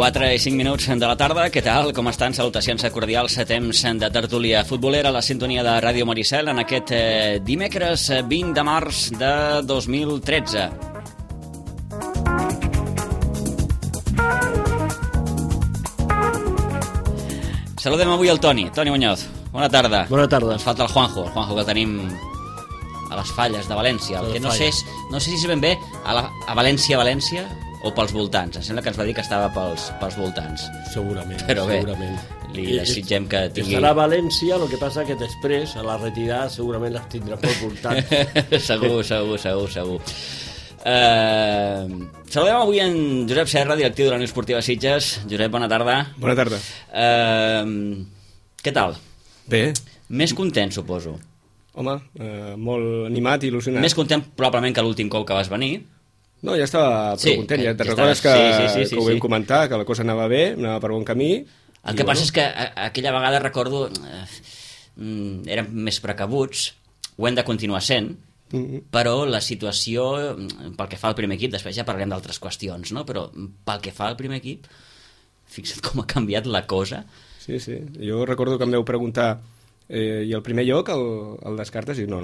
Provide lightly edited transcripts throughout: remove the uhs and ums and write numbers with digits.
4 i 5 minuts de la tarda. Què tal? Com estan? Salutacions cordials a temps de tertúlia futbolera a la sintonia de Ràdio Maricel en aquest dimecres 20 de març de 2013. Saludem avui el Toni Muñoz. Bona tarda. Bona tarda. Ens falta el Juanjo que el tenim a les Falles de València. El que no sé si és ben bé a València o pels voltants. Em sembla que ens va dir que estava pels voltants. Segurament. Però bé, segurament. li desitgem que tingui... Estarà a València, el que passa que després, a la retirada, segurament les tindrà pels voltants. Segur. Saludem avui en Josep Serra, directiu de la Unió Esportiva Sitges. Josep, bona tarda. Bona tarda. Què tal? Bé. Més content, suposo. Home, molt animat i il·lusionat. Més content probablement que l'últim cop que vas venir. No, ja estava prou content. Ja te'n recordes que ho vam comentar, que la cosa anava bé, anava per bon camí. El que passa és que aquella vegada recordo érem més precabuts, ho hem de continuar sent, però la situació, pel que fa al primer equip, després ja parlarem d'altres qüestions, no? Però pel que fa al primer equip, fixa't com ha canviat la cosa. Sí. Jo recordo que em vau preguntar i el primer lloc el descartes i no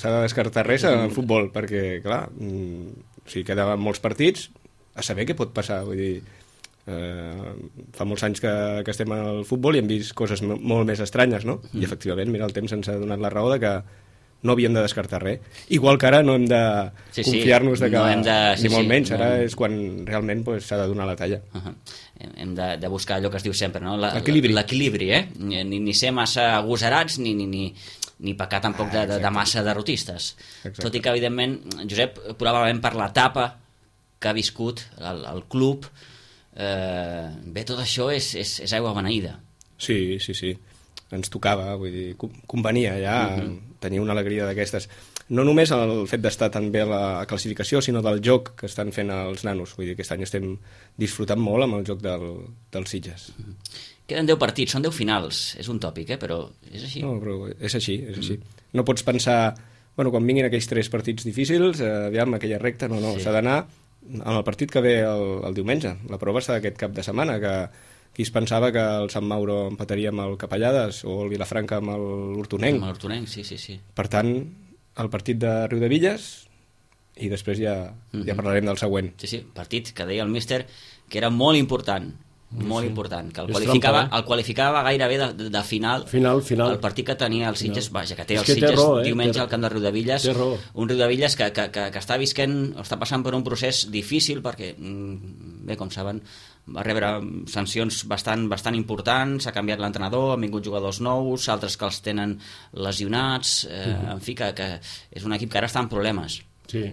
s'ha de descartar res en futbol, perquè clar, quedaven molts partits, a saber què pot passar, vull dir, fa molts anys que estem al futbol i hem vist coses molt més estranyes, no? I efectivament, mira, el temps ens ha donat la raó de que no havíem de descartar res. Igual que ara no hem de confiar-nos de que... No hem de, ni molt menys, ara és quan realment s'ha de donar la talla. Hem de buscar allò que es diu sempre, no? L'equilibri, ni ser massa agosarats ni pecar tampoc de massa derrotistes. Exacte. Tot i que, evidentment, Josep, probablement per l'etapa que ha viscut el club, bé, tot això és aigua beneïda. Sí. Ens tocava, vull dir, convenia ja tenir una alegria d'aquestes. No només el fet d'estar tan bé a la classificació, sinó del joc que estan fent els nanos. Vull dir, aquest any estem disfrutant molt amb el joc dels Sitges. Queden 10 partits, són 10 finals. És un tòpic, però és així. No, però és així. No pots pensar, quan vinguin aquells 3 partits difícils, aviam, aquella recta, s'ha d'anar en el partit que ve el diumenge. La prova està aquest cap de setmana, que qui es pensava que el Sant Mauro empataria amb el Capellades o el Vilafranca amb l'Hortonenc. Amb l'Hortonenc, sí. Per tant, el partit de Riudevilles i després ja parlarem del següent. Sí, partit que deia el míster que era molt important, important, que el qualificava gairebé de final. El partit que tenia el Sitges, vaja, que té el Sitges diumenge al camp de Riudevilles, un Riudevilles que està visquent, està passant per un procés difícil perquè, bé, com saben, va rebre sancions bastant importants, ha canviat l'entrenador, han vingut jugadors nous, altres que els tenen lesionats, en fi, que és un equip que ara està en problemes. Sí,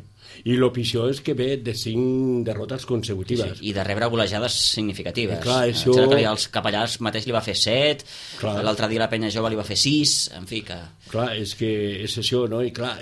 i el pitjor és que ve de 5 derrotes consecutives. Sí, i de rebre golejades significatives. Clar, això... Els Capellars mateix li va fer 7, l'altre dia la Penya Jove li va fer 6, en fi que... Clar, és que és això, no? I clar,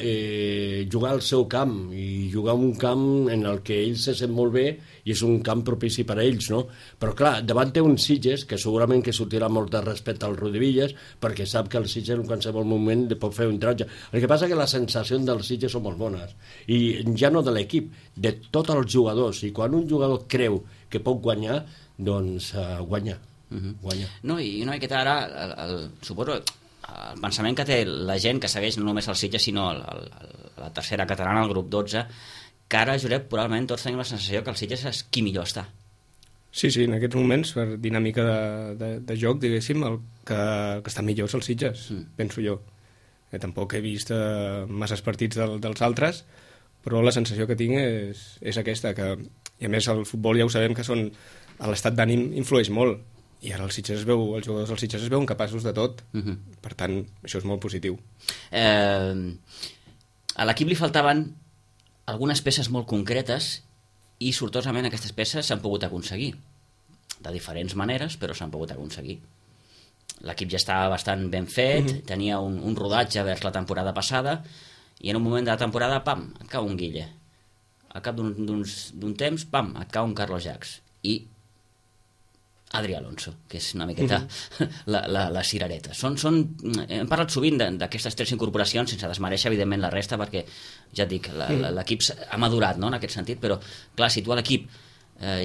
jugar al seu camp i jugar en un camp en el que ells se sent molt bé i és un camp propici per a ells, no? Però clar, davant té un Sitges que segurament que sortirà molt de respecte al Riudevilles perquè sap que el Sitges en qualsevol moment pot fer un tratge. El que passa és que les sensacions dels Sitges són molt bones i ja no de l'equip, de tots els jugadors, i quan un jugador creu que pot guanyar, doncs guanya. No, i una miqueta ara suposo el pensament que té la gent que segueix no només el Sitges sinó la tercera catalana, el grup 12, que ara, Josep, probablement tots tenim la sensació que el Sitges és qui millor està. Sí, en aquests moments, per dinàmica de joc, diguéssim, el que està millor és el Sitges, penso jo. Tampoc he vist masses partits dels altres, però la sensació que tinc és aquesta, i a més el futbol ja ho sabem que l'estat d'ànim influeix molt, i ara els jugadors dels Sitges es veuen capaços de tot, per tant, això és molt positiu. A l'equip li faltaven algunes peces molt concretes i sortosament aquestes peces s'han pogut aconseguir, de diferents maneres, però s'han pogut aconseguir. L'equip ja estava bastant ben fet, tenia un rodatge vers la temporada passada, i en un moment de la temporada, pam, et cau un Guille. Al cap d'un temps, pam, et cau un Carlos Jacs. I Adri Alonso, que és una miqueta la cirereta. Hem parlat sovint d'aquestes 3 incorporacions, sense desmereixer, evidentment, la resta, perquè, ja et dic, l'equip ha madurat, no?, en aquest sentit, però, clar, si tu a l'equip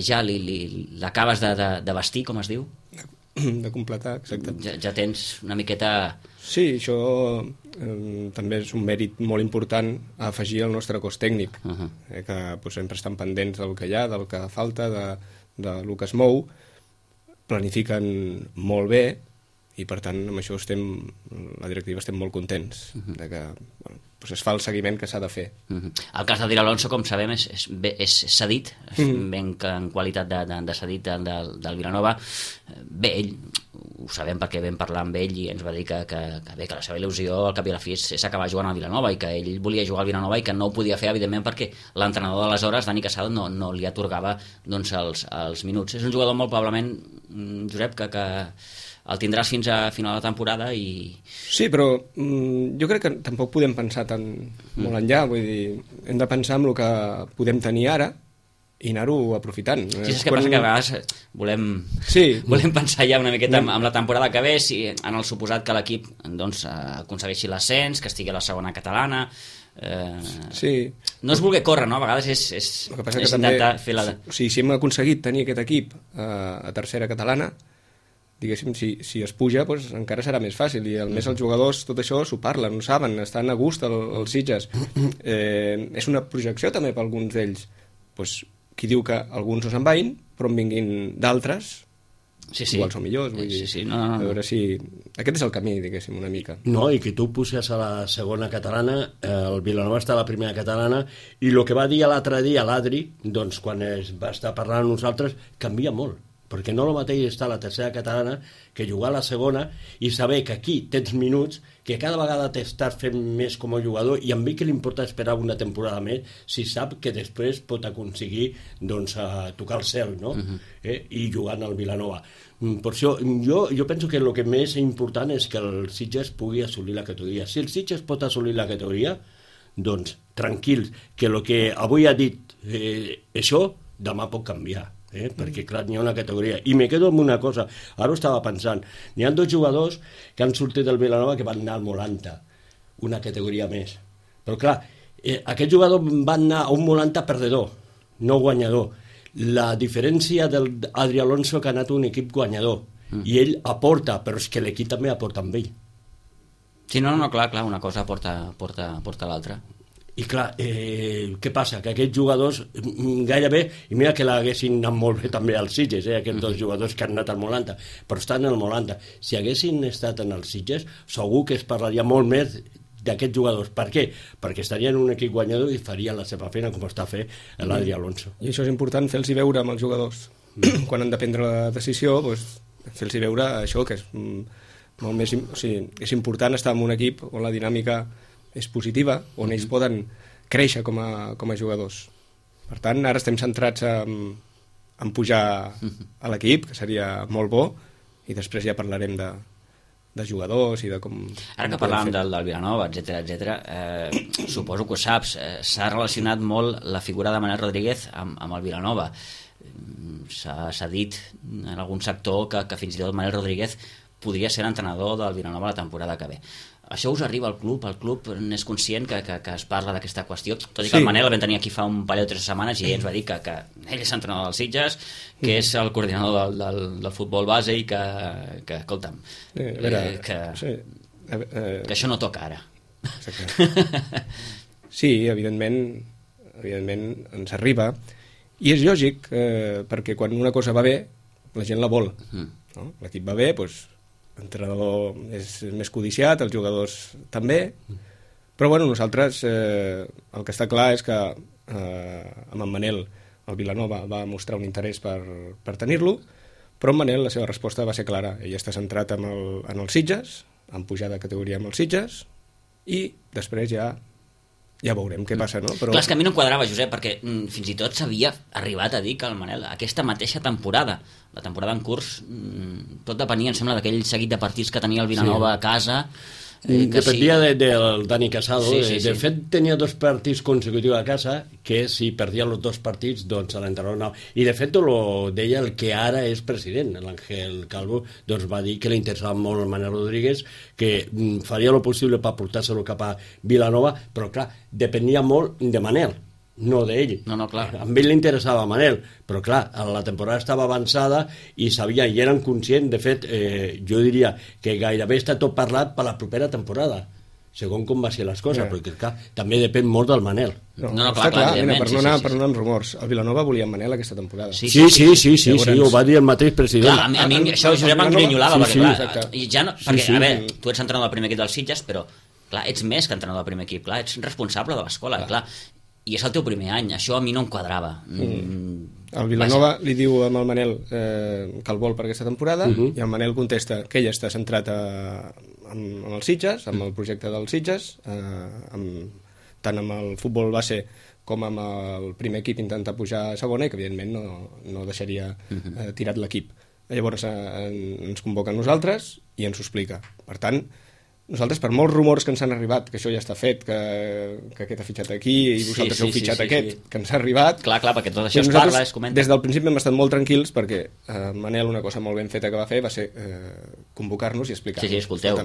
ja l'acabes de vestir, com es diu? De completar, exacte. Ja tens una miqueta... Sí, això també és un mèrit molt important a afegir al nostre cos tècnic, que pues, sempre estan pendents del que hi ha, del que falta, del que es mou, planifiquen molt bé i per tant amb això la directiva estem molt contents de que pues es fa el seguiment que s'ha de fer. El cas d'Adrià Alonso, com sabem, és cedit, ben en qualitat de cedit del Vilanova. Bé, ell, ho sabem perquè vam parlar amb ell i ens va dir que la seva il·lusió al cap i a la fi és acabar jugant al Vilanova i que ell volia jugar al Vilanova i que no ho podia fer, evidentment, perquè l'entrenador d'aleshores, Dani Casado, no li atorgava doncs, els minuts. És un jugador molt probablement, Josep, que el tindràs fins a final de temporada i... Sí, però jo crec que tampoc podem pensar tan molt enllà, vull dir, hem de pensar en el que podem tenir ara i anar-ho aprofitant. Sí, és que passa que a vegades volem pensar ja una miqueta amb la temporada que ve, si, en el suposat que l'equip doncs, aconsegueixi l'ascens, que estigui a la segona catalana... sí. No és voler córrer, no? A vegades és intentar fer la... O sigui, si hem aconseguit tenir aquest equip a tercera catalana, diguéssim, si es puja, doncs encara serà més fàcil, i a més els jugadors tot això s'ho parlen, ho saben, estan a gust als Sitges. És una projecció també per alguns d'ells. Doncs qui diu que alguns no se'n vagin, però en vinguin d'altres, igual són millors, vull dir, a veure si... Aquest és el camí, diguéssim, una mica. No, i que tu puges a la segona catalana, el Vilanova està a la primera catalana, i el que va dir l'altre dia l'Adri, doncs quan es va estar parlant amb nosaltres, canvia molt, perquè no el mateix està a la tercera catalana que jugar a la segona i saber que aquí tens minuts, que cada vegada t'estàs fent més com a jugador, i a mi que li importa esperar una temporada més si sap que després pot aconseguir doncs, tocar el cel, no? I jugant al Vilanova. Per això jo penso que el que més important és que el Sitges pugui assolir la categoria. Si el Sitges pot assolir la categoria, doncs tranquils, que el que avui ha dit això, demà pot canviar. Perquè clar, n'hi ha una categoria, i me quedo amb una cosa, ara ho estava pensant, n'hi ha 2 jugadors que han sortit del Vilanova que van anar al Molanta, una categoria més, però clar, aquest jugador van anar a un Molanta perdedor, no guanyador. La diferència d'Adrià Alonso que ha anat a un equip guanyador, i ell aporta, però és que l'equip també aporta amb ell. Sí, no, clar, una cosa porta l'altra. I clar, què passa? Que aquests jugadors gairebé, i mira que l'haguessin anat molt bé també als Sitges, aquests 2 jugadors que han anat al Molanta, però estan al Molanta. Si haguessin estat en els Sitges, segur que es parlaria molt més d'aquests jugadors. Per què? Perquè estarien en un equip guanyador i farien la seva feina com està fent l'Adrià Alonso. I això és important, fer-los veure amb els jugadors. Quan han de prendre la decisió, doncs, fer-los veure això, que és molt més... O sigui, és important estar en un equip on la dinàmica és positiva, on ells poden créixer com a jugadors. Per tant, ara estem centrats en pujar a l'equip, que seria molt bo, i després ja parlarem de jugadors i de com... Ara que parlàvem del Vilanova, etc., suposo que ho saps, s'ha relacionat molt la figura de Manel Rodríguez amb el Vilanova. S'ha dit en algun sector que fins i tot Manel Rodríguez podria ser l'entrenador del Vilanova la temporada que ve. Això us arriba al club? El club n'és conscient que es parla d'aquesta qüestió? Tot i que el Manel el vam tenir aquí fa un parell o 3 setmanes i ell ens va dir que ell és entrenador dels Sitges, que és el coordinador del futbol base i que escolta'm, que això no toca ara. Sí, evidentment ens arriba, i és lògic, perquè quan una cosa va bé, la gent la vol. No? L'equip va bé, doncs l'entrenador és més codiciat, els jugadors també, però bueno, nosaltres el que està clar és que amb en Manel el Vilanova va mostrar un interès per tenir-lo, però en Manel la seva resposta va ser clara. Ell està centrat en els Sitges, en pujar de categoria amb els Sitges, i després ja veurem què passa, no? Però... Clar, és que a mi no em quadrava, Josep, perquè fins i tot s'havia arribat a dir que el Manel, aquesta mateixa temporada, la temporada en curs, tot depenia, em sembla, d'aquell seguit de partits que tenia el Vilanova a casa. Dependia del Dani Casado. Sí. De fet, tenia 2 partits consecutius a casa, que si perdia els 2 partits, doncs l'entrenador no. I de fet, deia el que ara és president, l'Àngel Calvo, doncs va dir que li interessava molt el Manel Rodríguez, que faria el possible per portar-se-lo cap a Vilanova, però clar, depenia molt de Manel. no d'ell. No, clar. A ell li interessava Manel, però clar, la temporada estava avançada i sabien, i eren conscients, de fet, jo diria que gairebé està tot parlat per la propera temporada, segons com va ser les coses, perquè clar, també depèn molt del Manel. No, clar, mira, per no anar amb rumors, el Vilanova volia Manel aquesta temporada. Sí, ho va dir el mateix president. Clar, a mi això Josep m'engrinyolava, perquè clar, ja no, perquè, a veure, tu ets entrenador del primer equip dels Sitges, però clar, ets més que entrenador del primer equip, clar, ets responsable de l'escola, clar, i és el teu primer any, això a mi no em quadrava. El Vilanova li diu amb el Manel que el vol per aquesta temporada, i el Manel contesta que ell està centrat amb els Sitges, amb el projecte dels Sitges, tant amb el futbol base com amb el primer equip intentar pujar a segona, i que evidentment no deixaria tirat l'equip. Llavors ens convoca a nosaltres i ens ho explica. Per tant, nosaltres, per molts rumors que ens han arribat, que això ja està fet, que aquest ha fitxat aquí i vosaltres heu fitxat aquest, que ens ha arribat... Clar, perquè tot això es parla, es comenta. Des del principi hem estat molt tranquils perquè Manel, una cosa molt ben feta que va fer va ser convocar-nos i explicar-nos. Sí, escolteu,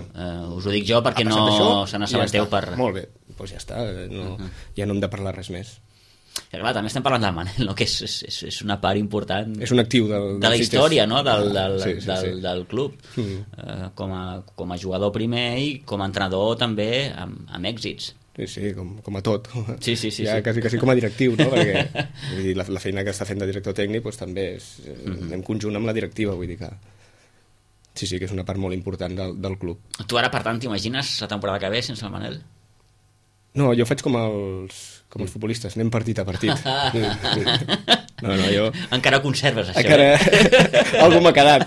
us ho dic jo perquè no se n'assabenteu per... Molt bé, doncs ja està, ja no hem de parlar res més. Clar, també estem parlant del Manel, no? Que és una part important, és un actiu de la història, no? del club, com a jugador primer i com a entrenador també amb èxits. Sí, com a tot. Sí. Ja quasi com a directiu, no? Perquè vull dir, la feina que està fent de director tècnic doncs, també anem conjunt amb la directiva, vull dir que sí, que és una part molt important del club. Tu ara, per tant, t'imagines la temporada que ve sense el Manel? No, jo faig com els futbolistes, anem partit a partit. No, jo... Encara conserves això. Encara... Algú m'ha quedat.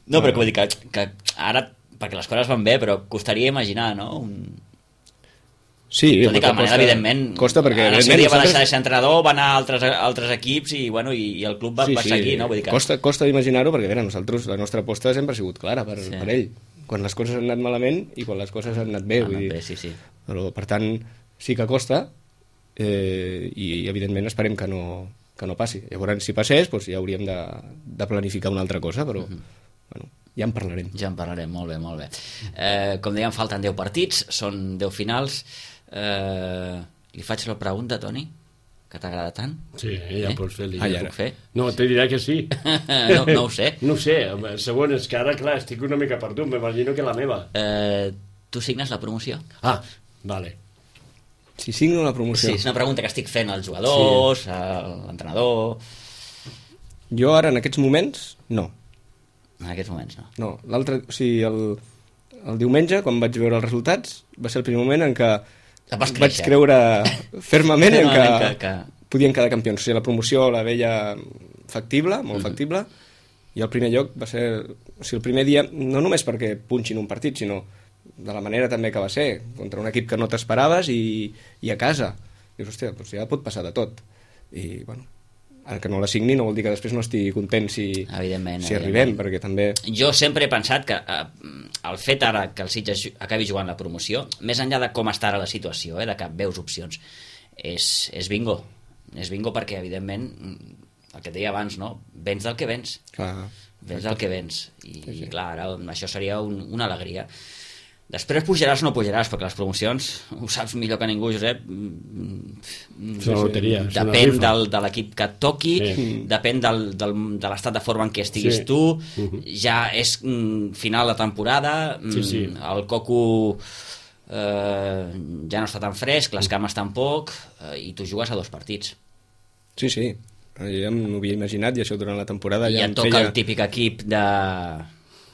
No, però vull dir que ara, perquè les coses van bé, però costaria imaginar, no? Sí, tot i que la manera, evidentment, costa perquè en el seu dia va deixar de ser entrenador, va anar a altres equips i el club va seguir, no? Vull dir que... Costa d'imaginar-ho perquè nosaltres, la nostra aposta sempre ha sigut clara per ell, quan les coses han anat malament i quan les coses han anat bé, vull dir. Sí. Però, per tant, sí que costa i evidentment esperem que no passi. Llavors, si passés, doncs ja hauríem de planificar una altra cosa, però bueno, ja en parlarem. Ja en parlarem, molt bé. Com dèiem, falten 10 partits, són 10 finals. Li faig la pregunta, Toni, que t'agrada tant? Sí, ja pots fer-li. Puc fer? No, te diré que sí. No ho sé. No ho sé, segon, és que ara, clar, estic una mica perdut, m'imagino que la meva. Tu signes la promoció? Ah, vale. Si signo la promoció? Sí, és una pregunta que estic fent als jugadors, a l'entrenador... Jo ara, en aquests moments, no. En aquests moments, no. No, l'altre... O sigui, el diumenge, quan vaig veure els resultats, va ser el primer moment en què vaig creure fermament en que podien quedar campions. O sigui, la promoció la veia factible, molt factible, i el primer lloc va ser... O sigui, el primer dia, no només perquè punxin un partit, sinó de la manera també que va ser, contra un equip que no t'esperaves i a casa. Dius, hòstia, doncs ja pot passar de tot. I, bueno, ara que no la signi no vol dir que després no estigui content si arribem, perquè també... Jo sempre he pensat que el fet ara que el Sitges acabi jugant la promoció, més enllà de com està ara la situació, de que veus opcions, és bingo. És bingo perquè, evidentment, el que et deia abans, no? Vens del que vens. Vens del que vens. I clar, ara això seria una alegria. Després pujaràs o no pujaràs, perquè les promocions, ho saps millor que ningú, Josep, depèn de l'equip que et toqui, depèn de l'estat de forma en què estiguis tu, ja és final de temporada, el coco ja no està tan fresc, les cames tampoc, i tu jugues a 2 partits. Sí, ja m'ho havia imaginat, i això durant la temporada ja et toca el típic equip de...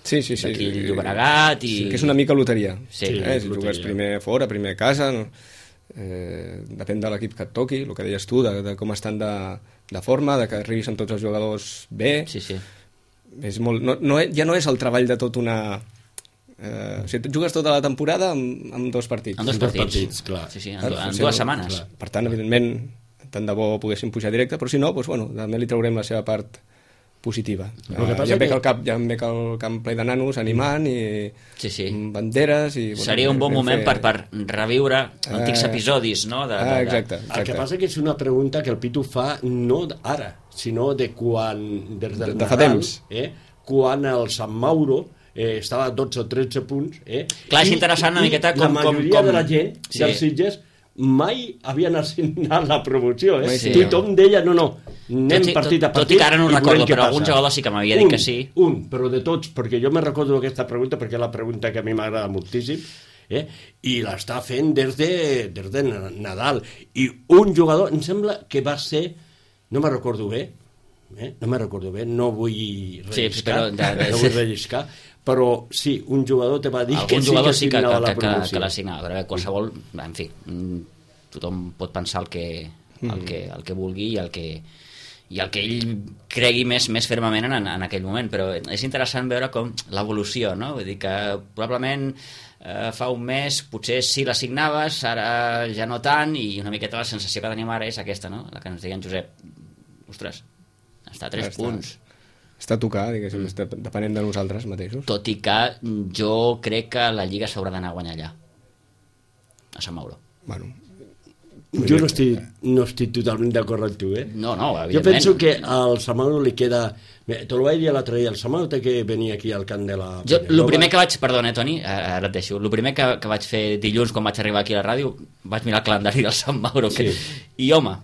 Sí. D'aquí el Llobregat i... Que és una mica loteria. Si jugues primer fora, primer a casa, depèn de l'equip que et toqui, el que deies tu, de com estan de forma, de que arribis amb tots els jugadors bé. És molt, ja no és el treball de tot una... o sigui, jugues tota la temporada amb 2 partits. Amb 2 partits, clar. En 2 setmanes. Per tant, evidentment, tant de bo poguéssim pujar directe, però si no, doncs, bueno, també li traurem la seva part positiva. Ja em ve que el camp ple de nanos animant i banderes i... Seria un bon moment per reviure antics episodis, no? Exacte. El que passa que és una pregunta que el Pitu fa no ara, sinó de quan... De fa temps. Quan el Sant Mauro estava a 12 o 13 punts. Clar, és interessant una miqueta com... La majoria de la gent dels Sitges mai havien assignat la promoció, eh? Sí. Tothom deia, no, anem partit a partit. Tot i que ara no ho i recordo, veurem què però algun passa. jugador sí que m'havia dit que sí. Però de tots, perquè jo me recordo aquesta pregunta, perquè és la pregunta que a mi m'agrada moltíssim, i l'està fent des de Nadal. I un jugador, em sembla que va ser, no me recordo bé, no vull relliscar, però sí, un jugador te va dir algun que jugador sí que signava la promoció. que la signava, però qualsevol, en fi, tothom pot pensar el que vulgui i el que ell cregui més fermament en aquell moment, però és interessant veure com l'evolució, no? Vull dir que probablement fa un mes potser sí la signaves, ara ja no tant, i una miqueta la sensació que tenim ara és aquesta, no? La que ens deia en Josep, ostres, està a 3 punts. Està a tocar, diguéssim, depenent de nosaltres mateixos. Tot i que jo crec que la Lliga s'haurà d'anar a guanyar allà, a Sant Mauro. Bueno, jo no estic totalment d'acord amb tu, No, evidentment. Jo penso que al Sant Mauro li queda... Te lo vaig dir l'altre dia, el Sant Mauro té que venir aquí al camp de la... Jo, el primer que vaig... Perdona, Toni, ara et deixo. El primer que vaig fer dilluns, quan vaig arribar aquí a la ràdio, vaig mirar el calendari del Sant Mauro. Sí. I, home...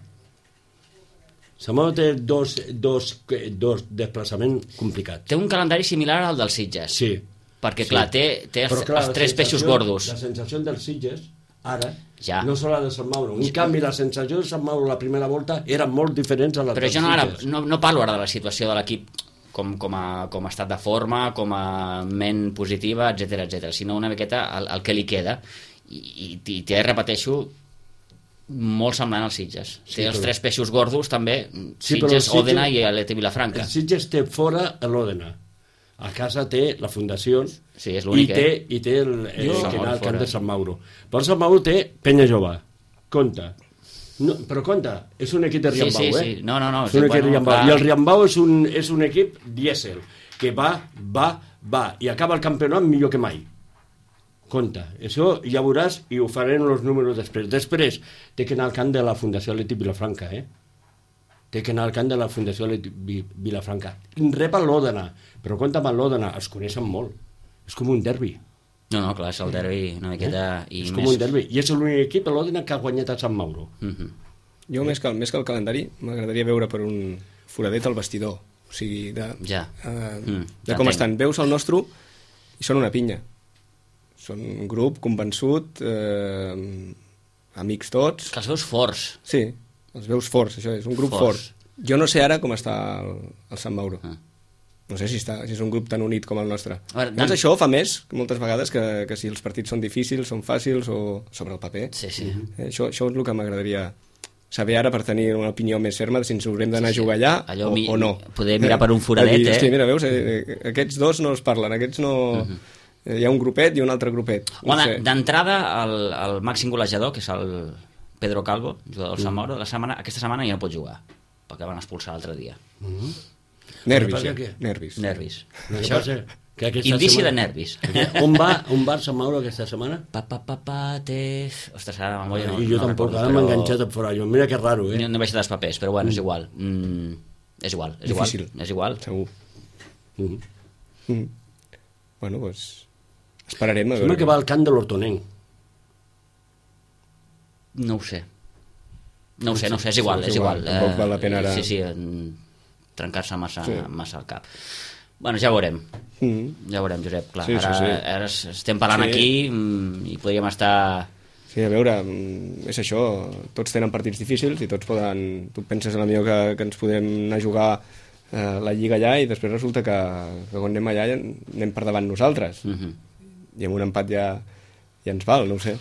Sant Mauro té dos desplaçaments complicats. Té un calendari similar al dels Sitges. Sí. Perquè, clar, té els 3 peixos gordos. La sensació dels Sitges, ara, ja. no sola de Sant Mauro. En canvi, la sensació de Sant Mauro la primera volta eren molt diferents a la Però dels jo Sitges. no parlo ara de la situació de l'equip com a estat de forma, com a ment positiva, etc, sinó una miqueta el que li queda. I té, repeteixo, molt semblant als Sitges. Té els 3 peixos gordos també, Sitges, Òdena i l'ET Vilafranca. El Sitges té fora l'Òdena. A casa té la Fundació, sí, és l'únic, i té el que anar al camp de Sant Mauro. Però Sant Mauro té Penya Jove. Compte. No, però compte, és un equip de Riambau, sí. No. És un equip de Riambau. I el Riambau és un equip dièsel, que va, i acaba el campionat millor que mai. Compte, això ja veuràs i ho farem els números després. Després té que anar al camp de la Fundació Atlètic Vilafranca, Té que anar al camp de la Fundació Atlètic Vilafranca. Rep a l'Òdena, però compte amb l'Òdena, els coneixen molt. És com un derbi. No, clar, és el derbi una miqueta... És com un derbi. I és l'únic equip a l'Òdena que ha guanyat a Sant Mauro. Jo, més que el calendari, m'agradaria veure per un foradet al vestidor. O sigui, de com estan. Veus el nostre i són una pinya. Són un grup convençut, amics tots. Que els veus forts. Sí, els veus forts, això és, un grup fort. Jo no sé ara com està el Sant Mauro. No sé si és un grup tan unit com el nostre. Doncs això fa més, moltes vegades, que si els partits són difícils, són fàcils o sobre el paper. Sí. Això és el que m'agradaria saber ara per tenir una opinió més ferma de si ens haurem d'anar a jugar allà o no. Poder mirar per un foradet, Hosti, mira, veus, aquests dos no es parlen, aquests no... Hi ha un grupet i un altre grupet. D'entrada, el màxim golejador, que és el Pedro Calvo, jugador del Sant Mauro, aquesta setmana ja no pot jugar, perquè van expulsar l'altre dia. Nervis. Això, indici de nervis. On va el Sant Mauro aquesta setmana? Ostres, ara la memòria no... I jo tampoc, ara m'he enganxat a fora. Mira que raro, No he baixat els papers, però bueno, és igual. És igual. Difícil. És igual. Segur. Bueno, doncs... Esperarem a veure. Sembla que va al camp de l'Hortonenc. No ho sé, és igual. Tampoc val la pena ara... Sí, trencar-se massa al cap. Bueno, ja ho veurem. Ja ho veurem, Josep, clar. Ara estem parlant aquí i podríem estar... Sí, a veure, és això, tots tenen partits difícils i tots poden... Tu penses a la millor que ens podem anar a jugar la Lliga allà i després resulta que quan anem allà anem per davant nosaltres. I amb un empat ja ens val, no ho sé.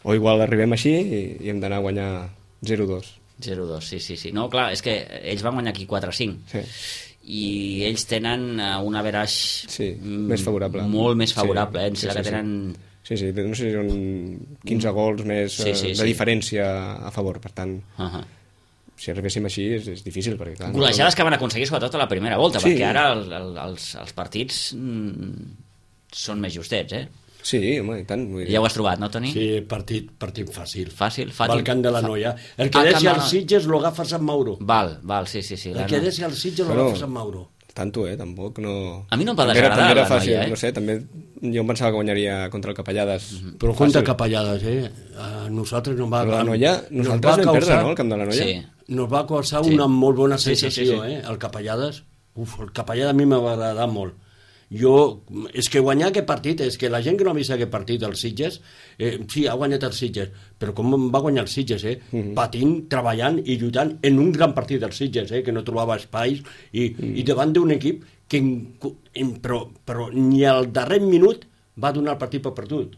O igual arribem així i hem d'anar a guanyar 0-2. 0-2, sí. No, clar, és que ells van guanyar aquí 4-5. Sí. I ells tenen un average més favorable. Molt més favorable, que tenen... Sí, no sé si són 15 gols més de diferència a favor, per tant... Si arribéssim així és difícil, perquè clar... Golejades que van aconseguir sobretot a la primera volta, perquè ara els partits són més justets, Sí, home, i tant. Ja ho has trobat, no, Toni? Sí, partit fàcil. Fàcil. Va al camp de la Noia. El que deixi al Sitges lo agafa Sant Mauro. Val, sí. El que deixi al Sitges lo agafa Sant Mauro. tanto, tampoc no... A mi no em va També desagradar era la fàcil, noia, no sé, també jo em pensava que guanyaria contra el Capellades. Però compte Capellades, a nosaltres no va... Però la noia, nosaltres vam perdre, no?, el camp de la noia. Sí. Nos va causar una molt bona Sí, sensació, sí. El Capellades. El Capellades a mi m'ha agradat molt. És que guanyar aquest partit, és que la gent que no ha vist aquest partit, els Sitges, sí, ha guanyat els Sitges, però com va guanyar els Sitges, patint, treballant i lluitant en un gran partit dels Sitges, que no trobava espais, i davant d'un equip que però ni al darrer minut va donar el partit per perdut,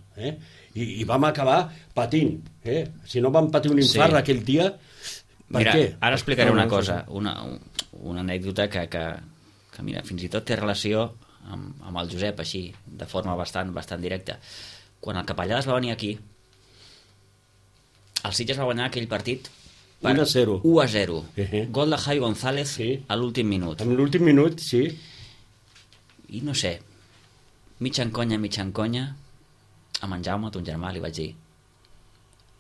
i vam acabar patint, si no vam patir un infart aquell dia, per Mira, què? ara explicaré una cosa, una anècdota que mira, fins i tot té relació amb el Josep, així, de forma bastant directa. Quan el Capellades va venir aquí, el Sitges va guanyar aquell partit per 1-0. 1-0. Gol de Javi González a l'últim minut. En l'últim minut, sí. I no sé, mig en conya, a en Jaume, ton germà, li vaig dir: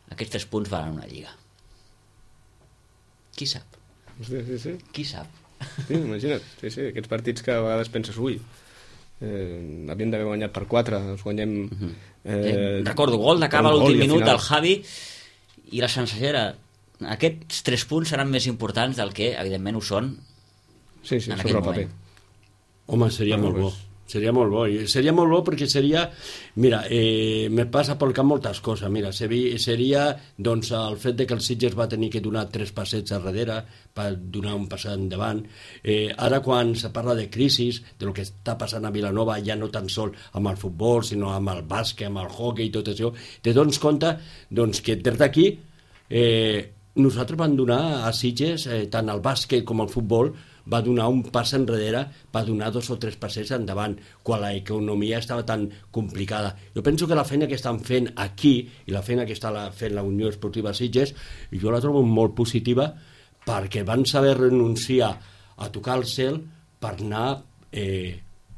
aquests 3 punts valen una lliga. Qui sap? Sí. Qui sap? Sí, imagina't, sí, aquests partits que a vegades penses, ui, havien d'haver guanyat per 4, els guanyem... Recordo, gol d'acaba a l'últim minut del del Javi, i la sensació era: aquests 3 punts seran més importants del que evidentment ho són sí, en sobre aquell el paper. moment. Home, seria molt bo. Seria molt bo. I seria molt bo perquè seria... Mira, me passa pel cap moltes coses. Mira, seria doncs, el fet de que el Sitges va tenir que donar 3 passets a darrere per donar un pas endavant. Ara, quan se parla de crisis, de lo que està passant a Vilanova, ja no tan sol amb el futbol, sinó amb el bàsquet, amb el hockey i tot això, te dones compte doncs, que des d'aquí nosaltres vam donar a Sitges, tant el bàsquet com el futbol, va donar un pas enrere, va donar 2 o 3 passes endavant, quan l'economia estava tan complicada. Jo penso que la feina que estan fent aquí i la feina que està fent la Unió Esportiva Sitges, jo la trobo molt positiva, perquè van saber renunciar a tocar el cel per anar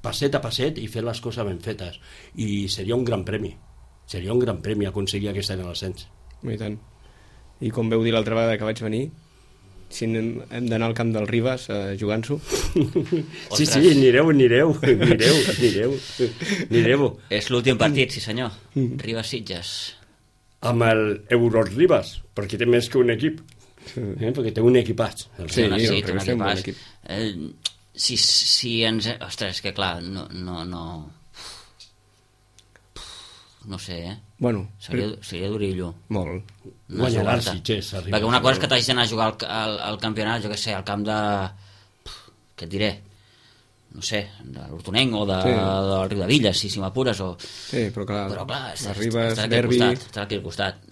passet a passet i fer les coses ben fetes. I seria un gran premi. Seria un gran premi aconseguir aquest any a l'ascens. I tant. I com veu dir l'altra vegada que vaig venir, si hem d'anar al camp del Ribas jugant-s'ho. Sí, anireu. És l'últim partit, sí senyor. Ribas Sitges. Amb el Euro Ribas, perquè té més que un equip. Perquè té un equipatge. Sí, el té un Ribas té un bon equip. Si ens... Ostres, que clar, no sé, Bueno, seria d'orillo. molt. Guanyarà el Sitges. Perquè una cosa és que t'hagis d'anar a jugar al campionat, jo què sé, al camp de... Què et diré? No sé, de l'Hortonenc o del Riudevilles, si m'apures, o... Sí, però clar, les Ribes, està derbi... Està aquí al costat.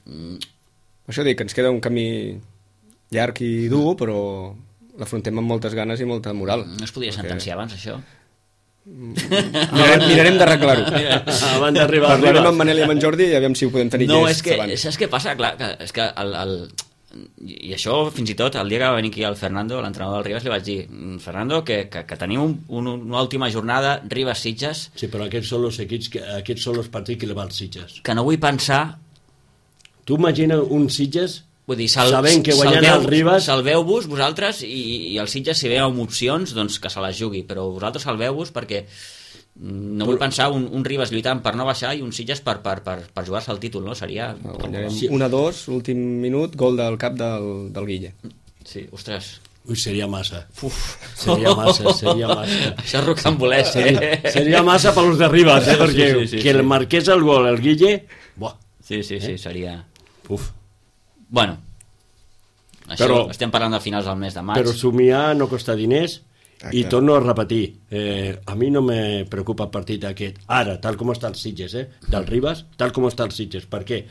Això dic, que ens queda un camí llarg i dur, però l'afrontem amb moltes ganes i molta moral. No es podia sentenciar abans, això? Mirarem d'arreglar-ho. Abans d'arribar Parlarem amb Manel i amb en Jordi i aviam si ho podem tenir llest abans. No, saps què passa? Clar, és que i això fins i tot el dia que va venir aquí el Fernando, l'entrenador del Ribas, li vaig dir: Fernando, que tenim una última jornada Ribas-Sitges. Sí, però aquests són els equips, aquests són els partits que li va als Sitges. Que no vull pensar... Tu imagina un Sitges Vull dir, sabent que guanyant el Ribas... Salveu-vos vosaltres i el Sitges, si ve amb opcions, doncs que se les jugui, però vosaltres salveu-vos perquè no vull pensar un Ribas lluitant per no baixar i un Sitges per jugar-se el títol, no? Seria... Guanyarem 1-2, últim minut, gol del cap del Guille. Sí, ostres... Ui, seria massa. Seria massa. Això és rocambolès, Seria massa per los de Ribas, perquè sí. que el marqués el gol, el Guille... Buah. Sí, seria... Uf. Bueno, això, estem parlant de finals del mes de maig. Però somiar no costa diners. Exacte. I torno a repetir, a mi no me preocupa el partit aquest ara, tal com està el Sitges, del Ribas, tal com està el Sitges. Per què?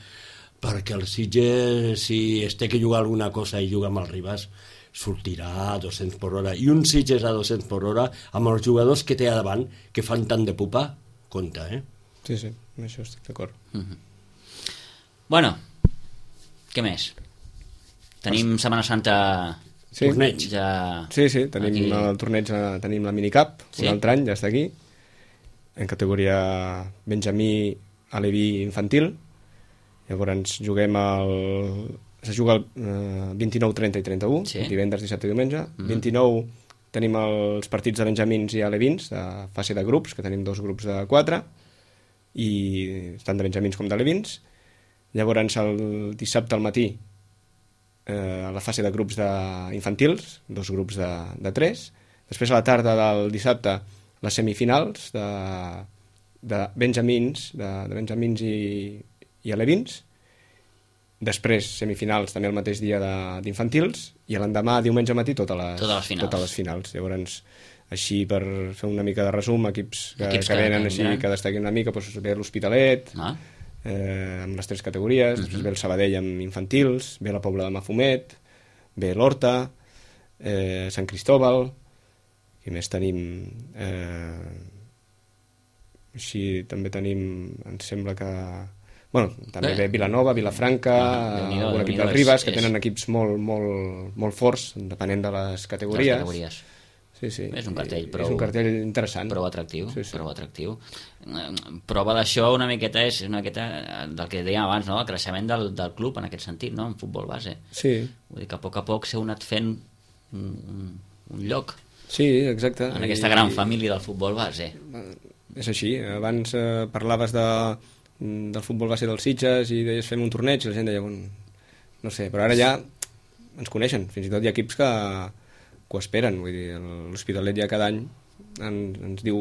Perquè el Sitges, si es té que jugar alguna cosa i juga amb el Ribas, sortirà a 200 per hora. I un Sitges a 200 per hora, amb els jugadors que té a davant, que fan tant de pupa, compta, Sí, amb això estic d'acord. Bueno, què més? Tenim Setmana Santa... Sí. Torneig. Ja... Sí, tenim aquí el torneig, tenim la minicap, un altre any, ja està aquí, en categoria Benjamí, Aleví infantil. Llavors juguem se juga el 29, 30 i 31, divendres, dissabte i diumenge. 29 tenim els partits de benjamins i alevins, de fase de grups, que tenim 2 grups de 4, i tant de benjamins com d'alevins. Llavors, el dissabte al matí, a la fase de grups infantils, 2 grups de 3. Després, a la tarda del dissabte, les semifinals de benjamins, de benjamins i alevins. Després, semifinals també el mateix dia d'infantils, i l'endemà, diumenge matí, totes les finals. Llavors, així, per fer una mica de resum, equips que venen així, que destaquen una mica, doncs ve l'Hospitalet, amb les 3 categories, després ve el Sabadell amb infantils, ve la Pobla de Mafumet, ve l'Horta, Sant Cristóbal, i més tenim... així també tenim, em sembla que... Bueno, també ve Vilanova, Vilafranca, un equip del Ribas, que tenen equips molt forts, depenent de les categories. Sí. És un cartell interessant. Prou atractiu. Prova d'això una miqueta és del que dèiem abans, no? El creixement del club en aquest sentit, no? En futbol base. Sí. Vull dir que a poc s'heu anat fent un lloc. Sí, exacte. En aquesta gran família del futbol base. És així. Abans parlaves del futbol base dels Sitges i deies fem un torneig i la gent deia, no sé, però ara ja ens coneixen. Fins i tot hi ha equips que ho esperen, vull dir, l'Hospitalet ja cada any ens diu,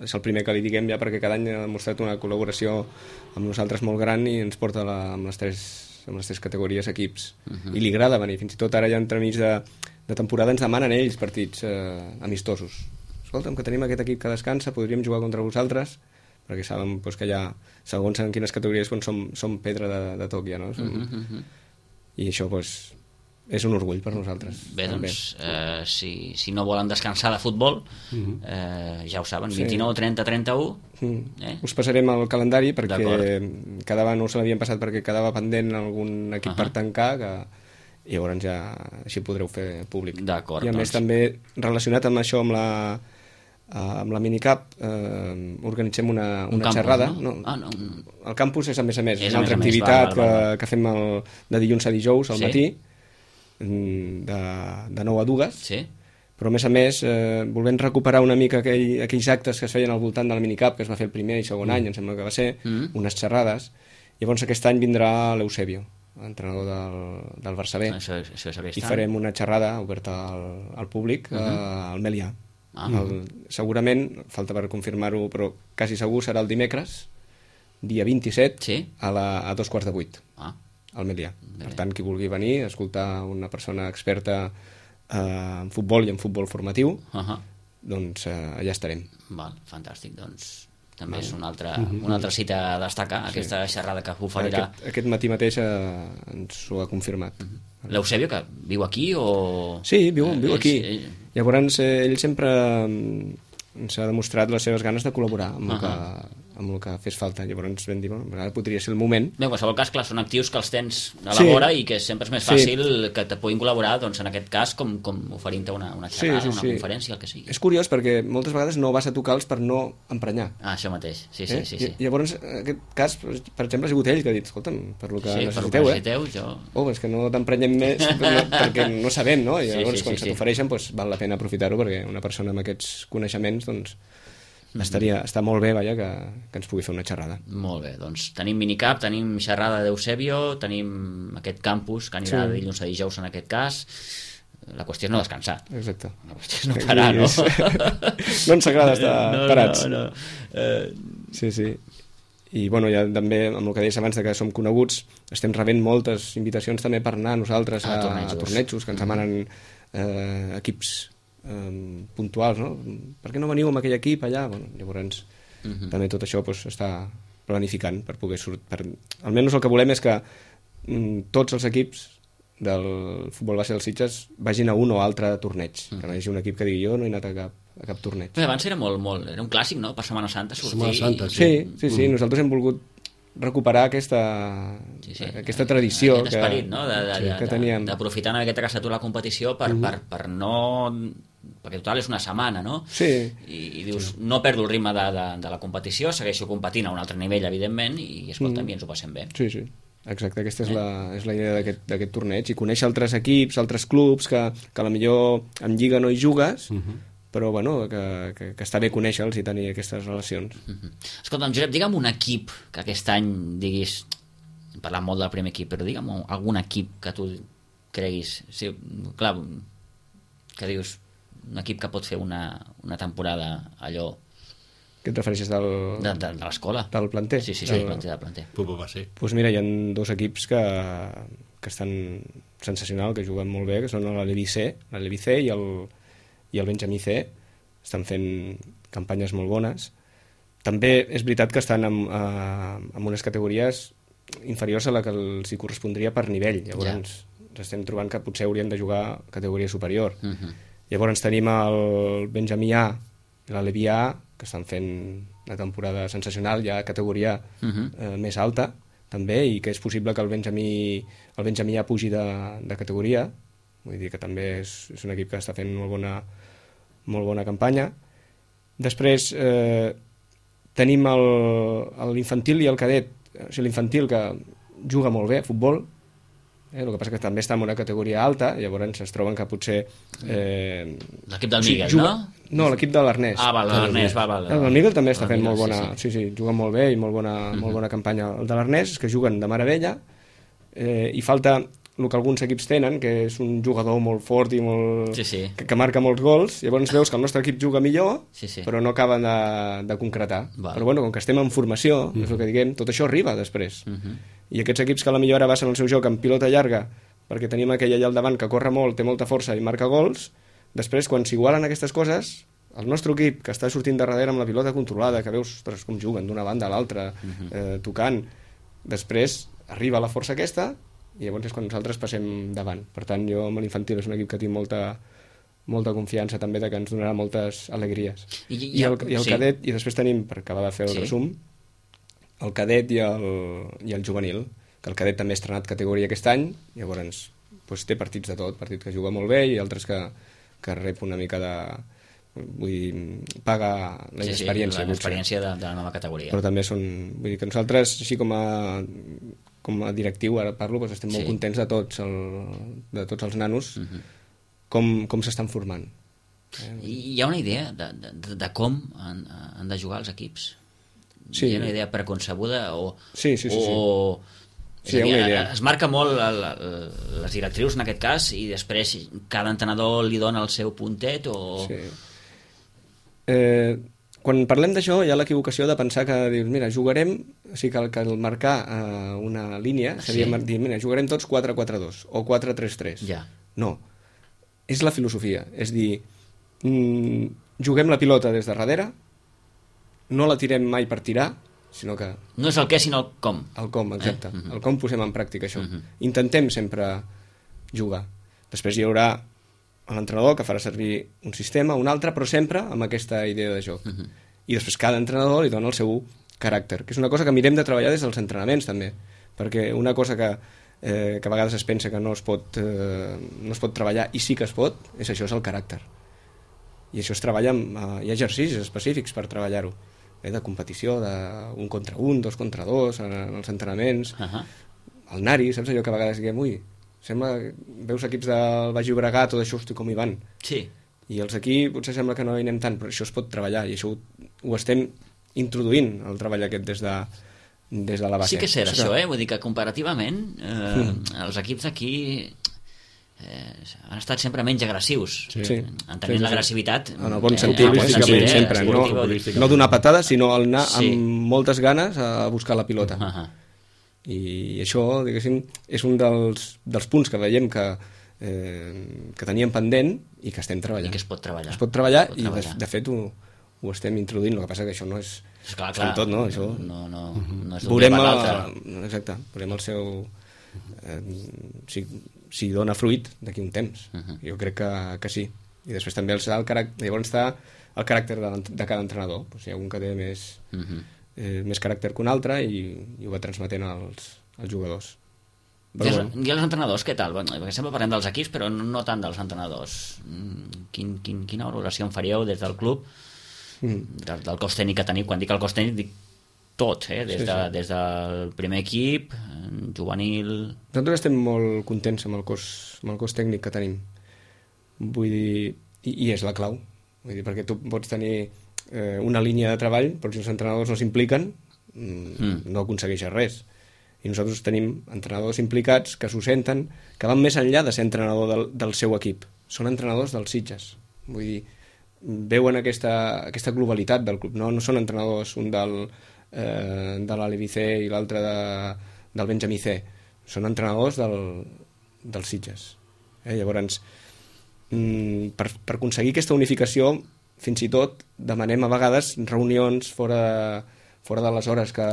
és el primer que li diguem ja, perquè cada any ha demostrat una col·laboració amb nosaltres molt gran i ens porta amb les tres categories equips. I li agrada venir, fins i tot ara ja entremig de temporada ens demanen ells partits amistosos. Escolta'm, que tenim aquest equip que descansa, podríem jugar contra vosaltres, perquè saben que ja, segons en quines categories som pedra de toc ja, no? I això, és un orgull per nosaltres. Bé, doncs, si no volen descansar de futbol, ja ho saben, 29, 30, 31... Us passarem el calendari, perquè no se l'havien passat perquè quedava pendent algun equip per tancar, i llavors ja així podreu fer públic. D'acord, i a més també relacionat amb això, amb la minicap, organitzem una xerrada. No? El campus és a més una altra activitat que fem de dilluns a dijous al matí, de 9 a 2, però a més volent recuperar una mica aquells actes que es feien al voltant de la minicap, que es va fer el primer i segon any, em sembla que va ser, unes xerrades. Llavors aquest any vindrà l'Eusebio, entrenador del Barça B, i farem una xerrada oberta al públic al Melià. Segurament, falta per confirmar-ho, però quasi segur serà el dimecres, dia 27, a 7:15 al Melià. Per tant, qui vulgui venir a escoltar una persona experta en futbol i en futbol formatiu, doncs allà estarem. Fantàstic, doncs també és una altra cita a destacar, aquesta xerrada que oferirà. Aquest matí mateix ens ho ha confirmat. L'Eusebio, que viu aquí o...? Sí, viu aquí. Llavors ell sempre ens ha demostrat les seves ganes de col·laborar amb el que fes falta. Llavors vam dir, ara podria ser el moment. Bé, en qualsevol cas, clar, són actius que els tens a la vora i que sempre és més fàcil que te puguin col·laborar, doncs en aquest cas, com oferint-te una xerrada, una conferència, el que sigui. És curiós perquè moltes vegades no vas a tocar-los per no emprenyar. Això mateix, sí. Llavors, en aquest cas, per exemple, ha sigut ell que ha dit, escolta'm, per lo que necessiteu, és que no t'emprenyem més perquè no sabem, no? I llavors, quan se t'ofereixen, val la pena aprofitar-ho, perquè una persona amb aquests coneixements, doncs, està molt bé, que ens pugui fer una xerrada. Molt bé, doncs tenim minicap, tenim xerrada d'Eusebio, tenim aquest campus que anirà de dilluns a dijous en aquest cas. La qüestió és no descansar. Exacte. La qüestió és no parar, no? No ens agrada estar parats. No. Sí. I ja també, amb el que deies abans que som coneguts, estem rebent moltes invitacions també per anar nosaltres a tornejos, que ens demanen equips puntuals, no? Per què no veniu amb aquell equip allà? Llavors també tot això està planificant per poder sortir. Almenys el que volem és que tots els equips del futbol base dels Sitges vagin a un o altre torneig, que no hi hagi un equip que digui jo no he anat a cap torneig. Abans era molt, era un clàssic, no? Per Setmana Santa sortir. Sí, nosaltres hem volgut recuperar aquesta tradició aquest esperit, no? Que teníem, d'aprofitar una miqueta que s'atura la competició per no... perquè total és una setmana, no? Sí. I dius, no perdo el ritme de la competició, segueixo competint a un altre nivell, evidentment, i escolta'm, i ens ho passem bé. Sí. Exacte, aquesta és la idea d'aquest torneig, i conèixer altres equips, altres clubs que a la millor en lliga no hi jugues, però bueno, que està bé conèixer-los i tenir aquestes relacions. Escolta'm, Josep, digue'm un equip que aquest any diguis, parlant molt del primer equip, però digue'm algun equip que tu creguis, sí, clar, que dius un equip que pot fer una temporada allò. Què et refereixes de l'escola? Del planter? Sí, del planter. Va ser. Doncs mira, hi ha 2 equips que estan sensacional, que juguen molt bé, que són l'Alevi C i el Benjamí C. Estan fent campanyes molt bones. També és veritat que estan en unes categories inferiors a la que els hi correspondria per nivell. Llavors estem trobant que potser haurien de jugar a categoria superior. Llavors tenim el Benjamí A i l'Alevi A, que estan fent una temporada sensacional, ja a categoria més alta també, i que és possible que el Benjamí A pugi de categoria. Vull dir que també és un equip que està fent molt bona campanya. Després tenim l'infantil i el cadet. O sigui, l'infantil, que juga molt bé a futbol, el que passa que també està en una categoria alta, llavors es troben que potser... L'equip del Miguel, no? No, l'equip de l'Ernest. l'Ernest, va. El Miguel també està fent molt bona... Sí, juguen molt bé i molt bona campanya. El de l'Ernest és que juguen de meravella, i falta el que alguns equips tenen, que és un jugador molt fort i molt... que marca molts gols. Llavors veus que el nostre equip juga millor, però no acaben de concretar. Però bueno, com que estem en formació, és el que diguem, tot això arriba després. I aquests equips que a la millor ara basen el seu joc en pilota llarga, perquè tenim aquell allà al davant que corre molt, té molta força i marca gols, després, quan s'igualen aquestes coses, el nostre equip, que està sortint de darrere amb la pilota controlada, que veus com juguen d'una banda a l'altra, tocant, després arriba la força aquesta, i llavors és quan nosaltres passem davant. Per tant, jo amb l'infantil és un equip que tinc molta confiança també, de que ens donarà moltes alegries. I el cadet, i després tenim, per acabar de fer el resum, el cadet i el juvenil, que el cadet també ha estrenat categoria aquest any, llavors té partits de tot, partits que juga molt bé i altres que rep una mica de... vull dir, paga la inexperiència. L'experiència de la nova categoria. Però també són... Vull dir que nosaltres, així com a directiu, ara parlo, doncs estem molt contents de tots els nanos, com s'estan formant. Hi ha una idea de com han de jugar els equips? Sí. Hi ha una idea preconcebuda Sí. Sí, hi ha una idea. Es marca molt les directrius en aquest cas, i després cada entrenador li dona el seu puntet o... Sí. Quan parlem d'això hi ha l'equivocació de pensar que dius, mira, jugarem, o sigui que el marcar una línia seria dir, mira, jugarem tots 4-4-2 o 4-3-3. No, és la filosofia, és dir, juguem la pilota des de darrere, no la tirem mai per tirar, sinó que... No és el què, sinó el com. El com, exacte. El com posem en pràctica això. Intentem sempre jugar. Després hi haurà l'entrenador que farà servir un sistema, un altre, però sempre amb aquesta idea de joc. I després cada entrenador li dona el seu caràcter, que és una cosa que mirem de treballar des dels entrenaments també, perquè una cosa que a vegades es pensa que no es pot treballar, i sí que es pot, és això, és el caràcter. I això es treballa hi ha exercicis específics per treballar-ho, de competició, d'un contra un, 2 contra 2, en els entrenaments. El Nari, saps allò que a vegades diguem, sembla, veus equips del Baix Llobregat, tot això, hosti, com hi van. Sí. I els aquí potser sembla que no hi anem tant, però això es pot treballar, i això ho estem introduint, el treball aquest des de la base. Sí que és cert, això, vull dir que comparativament els equips d'aquí han estat sempre menys agressius, entenent l'agressivitat en el bon sentit, sempre, no donar patades, sinó anar amb moltes ganes a buscar la pilota. I això, diguéssim, és un dels punts que veiem que teníem pendent i que estem treballant. I que es pot treballar. Es pot treballar i de fet ho estem introduint, el que passa que això no és tot, no? Això no és d'un dia per l'altre. Exacte, veurem el seu... si dona fruit d'aquí un temps. Jo crec que sí. I després també llavors està el caràcter de cada entrenador. Hi ha un que té més caràcter que un altre i ho va transmetent als jugadors. I els entrenadors, què tal? Perquè sempre parlem dels equips, però no tant dels entrenadors. Quina valoració en faríeu des del club, del cos tècnic que teniu? Quan dic el cos tècnic dic tot, des del primer equip, juvenil... Nosaltres estem molt contents amb el cos tècnic que tenim. Vull dir, i és la clau. Vull dir, perquè tu pots tenir una línia de treball, però si els entrenadors no s'impliquen, no aconsegueixes res. I nosaltres tenim entrenadors implicats que s'ho senten, que van més enllà de ser entrenador del seu equip. Són entrenadors dels Sitges. Vull dir, veuen aquesta globalitat del club. No són entrenadors, un de l'Alevi C i l'altre del Benjamí C. Són entrenadors dels Sitges. Llavors, per aconseguir aquesta unificació, fins i tot demanem a vegades reunions fora de les hores que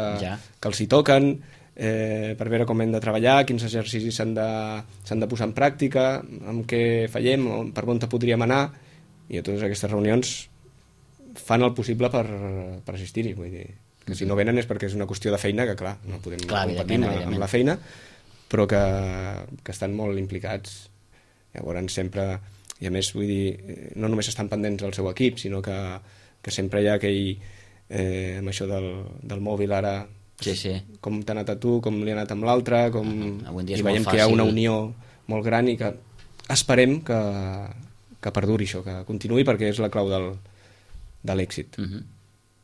els hi toquen, per veure com hem de treballar, quins exercicis s'han de posar en pràctica, amb què fallem, per on podríem anar, i a totes aquestes reunions fan el possible per assistir-hi. Vull dir que si no venen és perquè és una qüestió de feina que, clar, no podem competir amb la feina, però que estan molt implicats. Llavors sempre, i a més vull dir, no només estan pendents del seu equip, sinó que sempre hi ha aquell amb això del mòbil ara, com t'ha anat a tu, com li ha anat amb l'altre, i veiem que hi ha una unió molt gran i que esperem que perduri això, que continuï, perquè és la clau de l'èxit.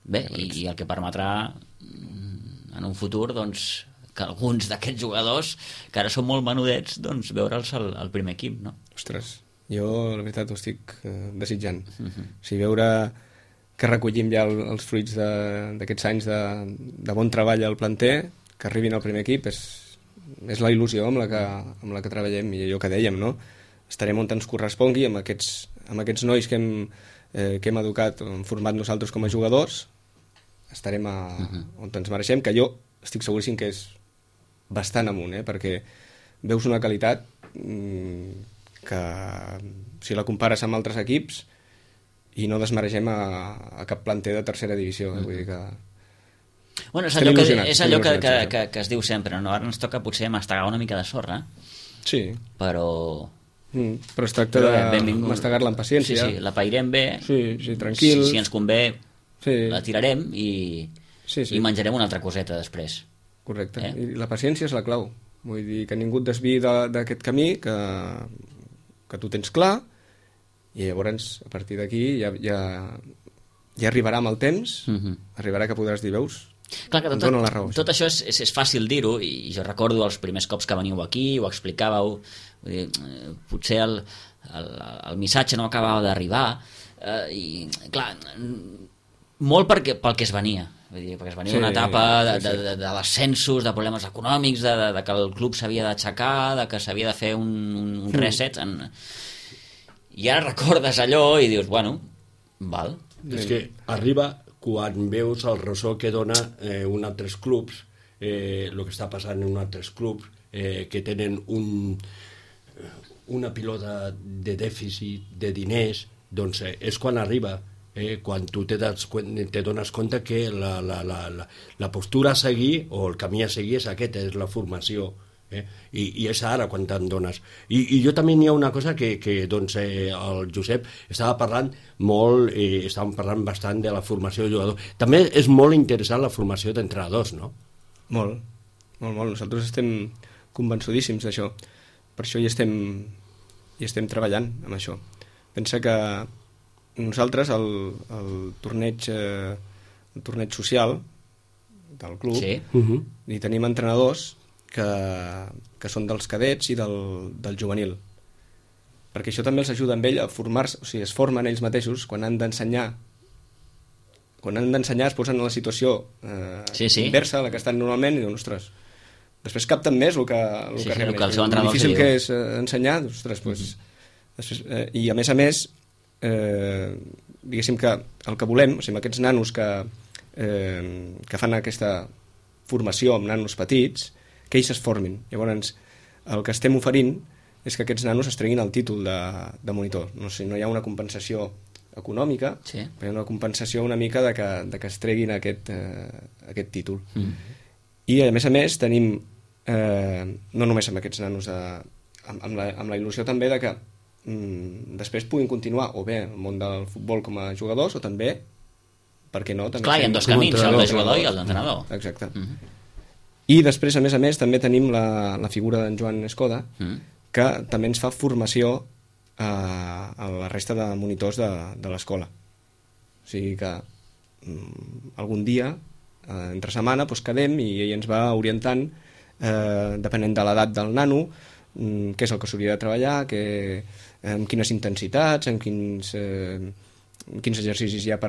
Bé, i el que permetrà en un futur, doncs, que alguns d'aquests jugadors, que ara són molt menudets, doncs veure'ls al primer equip, no? Ostres, jo la veritat ho estic desitjant. O sigui, veure que recollim ja els fruits d'aquests anys de bon treball al planter, que arribin al primer equip, és la il·lusió amb la que treballem, i allò que dèiem, no? Estarem on ens correspongui amb aquests nois que hem educat, hem format nosaltres com a jugadors, estarem on ens mereixem, que jo estic seguríssim que és bastant amunt, perquè veus una qualitat que si la compares amb altres equips i no desmereixem a cap planter de tercera divisió. Vull dir que... Bueno, és allò que es diu sempre, no? Ara ens toca potser mastegar una mica de sorra. Sí. Però es tracta de mastegar-la amb paciència. Sí, la pairem bé. Sí, tranquil. Si ens convé, la tirarem i menjarem una altra coseta després. Correcte. I la paciència és la clau. Vull dir que ningú et desviï d'aquest camí, que tu tens clar, i llavors a partir d'aquí ja arribarà amb el temps, arribarà que podràs dir, veus? Clar que tot això és fàcil dir-ho, i jo recordo els primers cops que veniu aquí, ho explicàveu, vull dir, potser el missatge no acabava d'arribar, i clar, molt pel que es venia, vull dir, perquè es venia una etapa de descensos, de problemes econòmics, de que el club s'havia d'aixecar, de que s'havia de fer un reset, i ara recordes allò i dius, bueno, val. És que arriba quan veus el ressò que dona un altres clubs, el que està passant en altres clubs que tenen una pilota de dèficit de diners, doncs és quan arriba, quan tu te dones compte que la postura a seguir o el camí a seguir és aquest, és la formació. I és ara quan te'n dones. I jo també hi ha una cosa que doncs, el Josep estava parlant molt, estàvem parlant bastant de la formació de jugadors. També és molt interessant la formació d'entrenadors, no? Molt. Nosaltres estem convençudíssims d'això. Per això hi estem treballant amb això. Pensa que nosaltres el torneig social del club hi tenim entrenadors que són dels cadets i del juvenil, perquè això també els ajuda amb ell a formar-se, o sigui, es formen ells mateixos quan han d'ensenyar es posen en la situació inversa a la que estan normalment i diuen, ostres, després capten més el que el difícil que és ensenyar, ostres, després, i a més diguéssim que el que volem, o sigui, aquests nanos que fan aquesta formació amb nanos petits, que ells es formin. Llavors, el que estem oferint és que aquests nanos es treguin el títol de monitor. No sé, no hi ha una compensació econòmica, però hi ha una compensació una mica de que es treguin aquest títol. I, a més, tenim, no només amb aquests nanos, amb la il·lusió també de que després puguin continuar o bé el món del futbol com a jugadors o també, per què no? Clar, hi ha dos camins, el de jugador i el d'entrenador. Exacte. I després, a més, també tenim la figura d'en Joan Escoda, que també ens fa formació a la resta de monitors de l'escola. O sigui que algun dia, entre setmana, doncs quedem i ell ens va orientant, depenent de l'edat del nano, què és el que s'hauria de treballar, amb quines intensitats, amb quins exercicis hi ha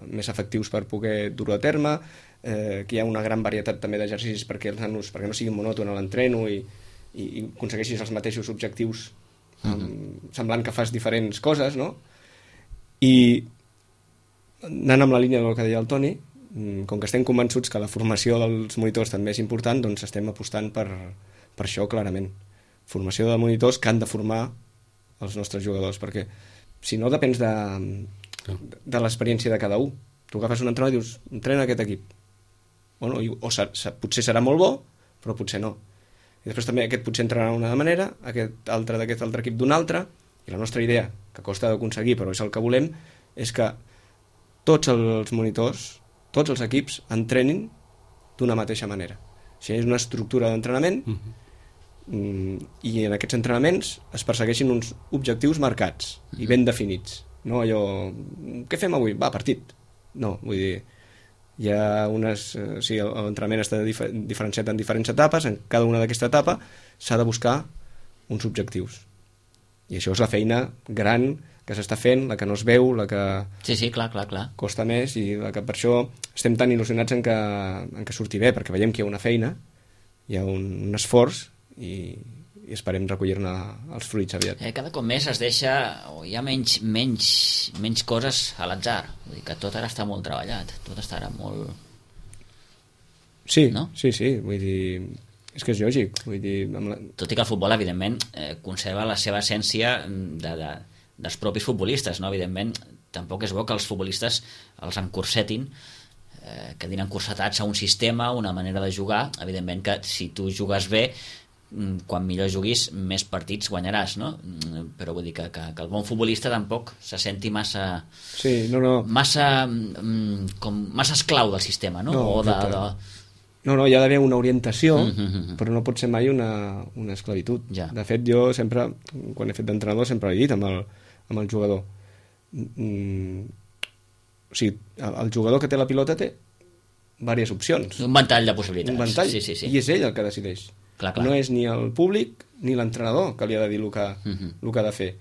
més efectius per poder dur-ho a terme, que hi ha una gran varietat també d'exercicis perquè els nanos, perquè no sigui monòton a l'entreno i aconsegueixis els mateixos objectius semblant que fas diferents coses, no? I anant amb la línia del que deia el Toni, com que estem convençuts que la formació dels monitors també és important, doncs estem apostant per això clarament. Formació de monitors que han de formar els nostres jugadors, perquè si no depens de l'experiència de cada un. Tu agafes un entrenador i dius, entrena aquest equip. Bueno, potser serà molt bo, però potser no. I després també aquest potser entrenarà d'una manera, aquest altre d'aquest altre equip d'una altra, i la nostra idea, que costa d'aconseguir, però és el que volem, és que tots els monitors, tots els equips, entrenin d'una mateixa manera. O sigui, és una estructura d'entrenament i en aquests entrenaments es persegueixin uns objectius marcats i ben definits. No allò, què fem avui? Va, partit. No, vull dir, hi ha l'entrenament està diferenciat en diferents etapes, en cada una d'aquesta etapa s'ha de buscar uns objectius. I això és la feina gran que s'està fent, la que no es veu, la que clar. Costa més, i la que per això estem tan il·lusionats en que surti bé, perquè veiem que hi ha una feina, hi ha un esforç i esperem recollir-ne els fruits aviat. Cada cop més es deixa, o hi ha menys coses a l'atzar, vull dir que tot ara està molt treballat, tot està ara molt... Sí, no? Sí, vull dir, és que és lògic, vull dir... Tot i que el futbol, evidentment, conserva la seva essència dels propis futbolistes, no? Evidentment, tampoc és bo que els futbolistes els encursetin, quedin encursetats a un sistema, una manera de jugar. Evidentment que si tu jugues bé, quan millor juguis, més partits guanyaràs, no? Però vull dir que el bon futbolista tampoc se senti massa... Sí, massa esclau del sistema, no? No, hi ha d'haver una orientació, però no pot ser mai una esclavitud. Ja. De fet, jo sempre, quan he fet d'entrenador, sempre he dit amb el jugador. O sigui, el jugador que té la pilota té diverses opcions. Un ventall de possibilitats. Un ventall, sí. I és ell el que decideix. Clar. No és ni el públic ni l'entrenador que li ha de dir el que ha de fer.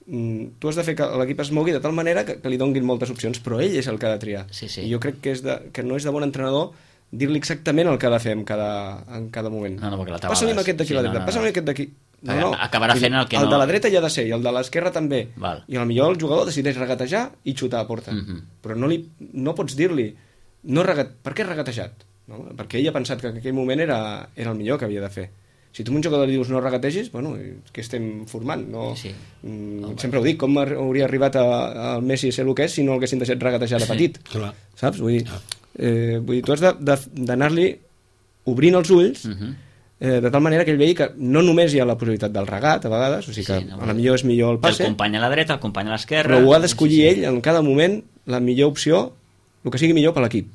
Tu has de fer que l'equip es mogui de tal manera que li donguin moltes opcions, però ell és el que ha de triar. Sí. I jo crec que no és de bon entrenador dir-li exactament el que ha de fer en cada moment. No, perquè la tabalada... Passa'm aquest d'aquí a la dreta, passa'm aquest d'aquí... No. Acabarà fent el que no... El de la dreta ja ha de ser, i el de l'esquerra també. Val. I potser el jugador decideix regatejar i xutar a porta. Però no pots dir-li per què has regatejat? No? Perquè ell ha pensat que en aquell moment era el millor que havia de fer. Si tu a un jugador li dius no regategis, bueno, què estem formant? No, sí. Sempre ho dic, com hauria arribat el Messi a ser el que és si no l'haguessin deixat regatejar de petit? Clar. Saps? Vull dir, tu has d'anar-li obrint els ulls de tal manera que ell vegi que no només hi ha la possibilitat del regat a vegades, o sigui que a la millor és millor el passe, el company a la dreta, el company a l'esquerra, però ho ha d'escollir ell en cada moment la millor opció, el que sigui millor per l'equip.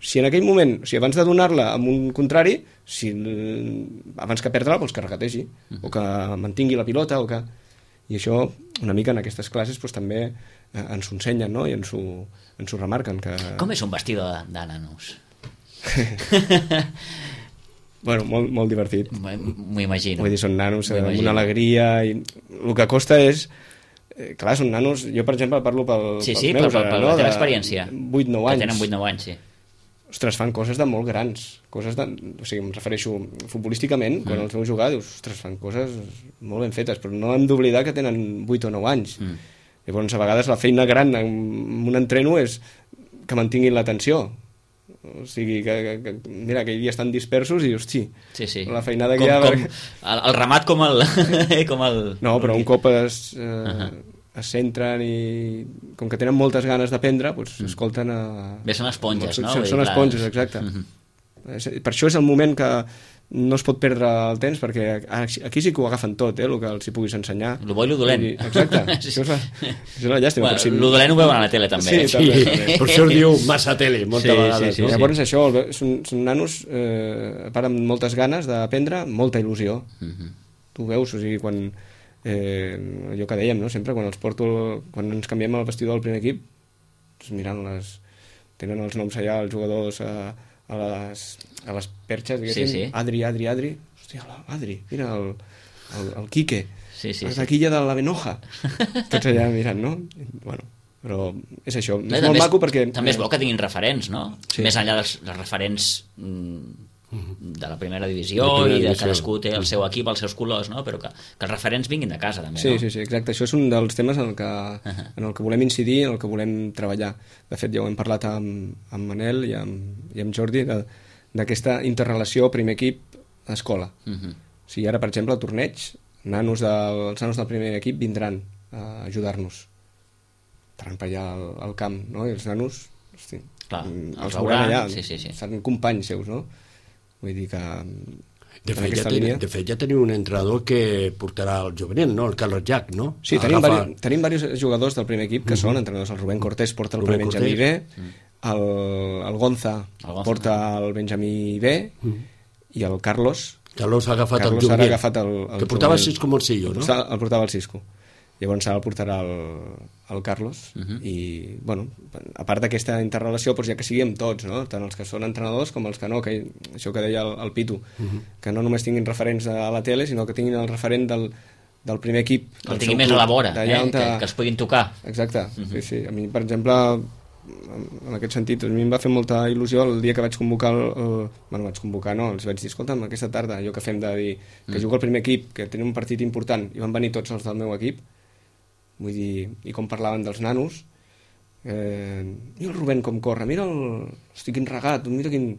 Si en aquell moment, abans de donar-la amb un contrari, abans que perdre-la, doncs que regategi, o que mantingui la pilota, i això una mica en aquestes classes també ens ho ensenyen, no? I ens ho remarquen. Com és un vestidor de nanos? Bueno, molt divertit. M'ho imagino. Vull dir, són nanos amb una alegria, i el que costa és... Clar, són nanos... Jo, per exemple, parlo pels meus, per la teva experiència. 8-9 anys. Que tenen 8-9 anys, sí. Ostres, fan coses de molt grans. O sigui, em refereixo futbolísticament, quan els veus jugar, dius, ostres, fan coses molt ben fetes, però no hem d'oblidar que tenen 8 o 9 anys. Llavors, a vegades, la feina gran en un entreno és que mantinguin l'atenció. O sigui, mira, aquell dia estan dispersos i, hosti, la feinada que hi ha... El ramat com el... No, però un cop es centren i com que tenen moltes ganes d'aprendre, doncs escolten... Bé, són esponges, no? Són esponges, exacte. Per això és el moment que no es pot perdre el temps perquè aquí sí que ho agafen tot, el que els hi puguis ensenyar. Lo bo i lo dolent. Exacte, això és la llàstima. Bueno, lo dolent ho veuen a la tele també. Sí, també. Per això es diu massa tele, moltes vegades. Sí. Llavors això, són nanos a part amb moltes ganes d'aprendre, molta il·lusió. Tu veus, o sigui, quan allò que dèiem, no? Sempre quan quan ens canviem el vestidor del primer equip, doncs mirant tenen els noms allà, els jugadors a les perxes, diguéssim, Sí. Adri, hòstia, Adri, mira el Quique, Sí. la taquilla de la Benoja, tots allà mirant, no? Bueno, però és això, és molt maco perquè... També és bo que tinguin referents, no? Sí. Més enllà dels referents de la primera divisió i de cadascú té el seu equip, els seus colors, no? Però que els referents vinguin de casa també, no? Sí, exacte, això és un dels temes en el que volem incidir, en el que volem treballar. De fet, ja ho hem parlat amb Manel i amb Jordi d'aquesta interrelació primer equip-escola. O sigui, ara, per exemple, al torneig, els nanos del primer equip vindran a ajudar-nos. Estaran per allà al camp, no? I els nanos, hosti, Clar, els veuran allà, sí. seran companys seus, no? Vull dir que... De fet, ja teniu un entrenador que portarà el juvenil, no? El Carlos Jack, no? Sí, tenim diversos jugadors del primer equip que són entrenadors. El Rubén Cortés porta el primer Benjamí B, el Gonza porta el Benjamí B i el Carlos ha agafat el juvenil. Ara ha agafat el que portava el Cisco Morcillo, no? El portava el Cisco. Llavors ara el portarà el Carlos i, bueno, a part d'aquesta interrelació, doncs ja que sigui amb tots, no? Tant els que són entrenadors com els que no, que això que deia el Pitu, que no només tinguin referents a la tele, sinó que tinguin el referent del primer equip. Que el tinguin més a la vora, que els puguin tocar. Exacte, sí. A mi, per exemple, en aquest sentit, a mi em va fer molta il·lusió el dia que vaig convocar vaig convocar, no, els vaig dir, escolta'm, aquesta tarda, allò que fem de dir que juga el primer equip, que tenen un partit important, i van venir tots els del meu equip. Vull dir, i com parlaven dels nanos, mira el Rubén com corre, mira hosti, quin regat, mira quin...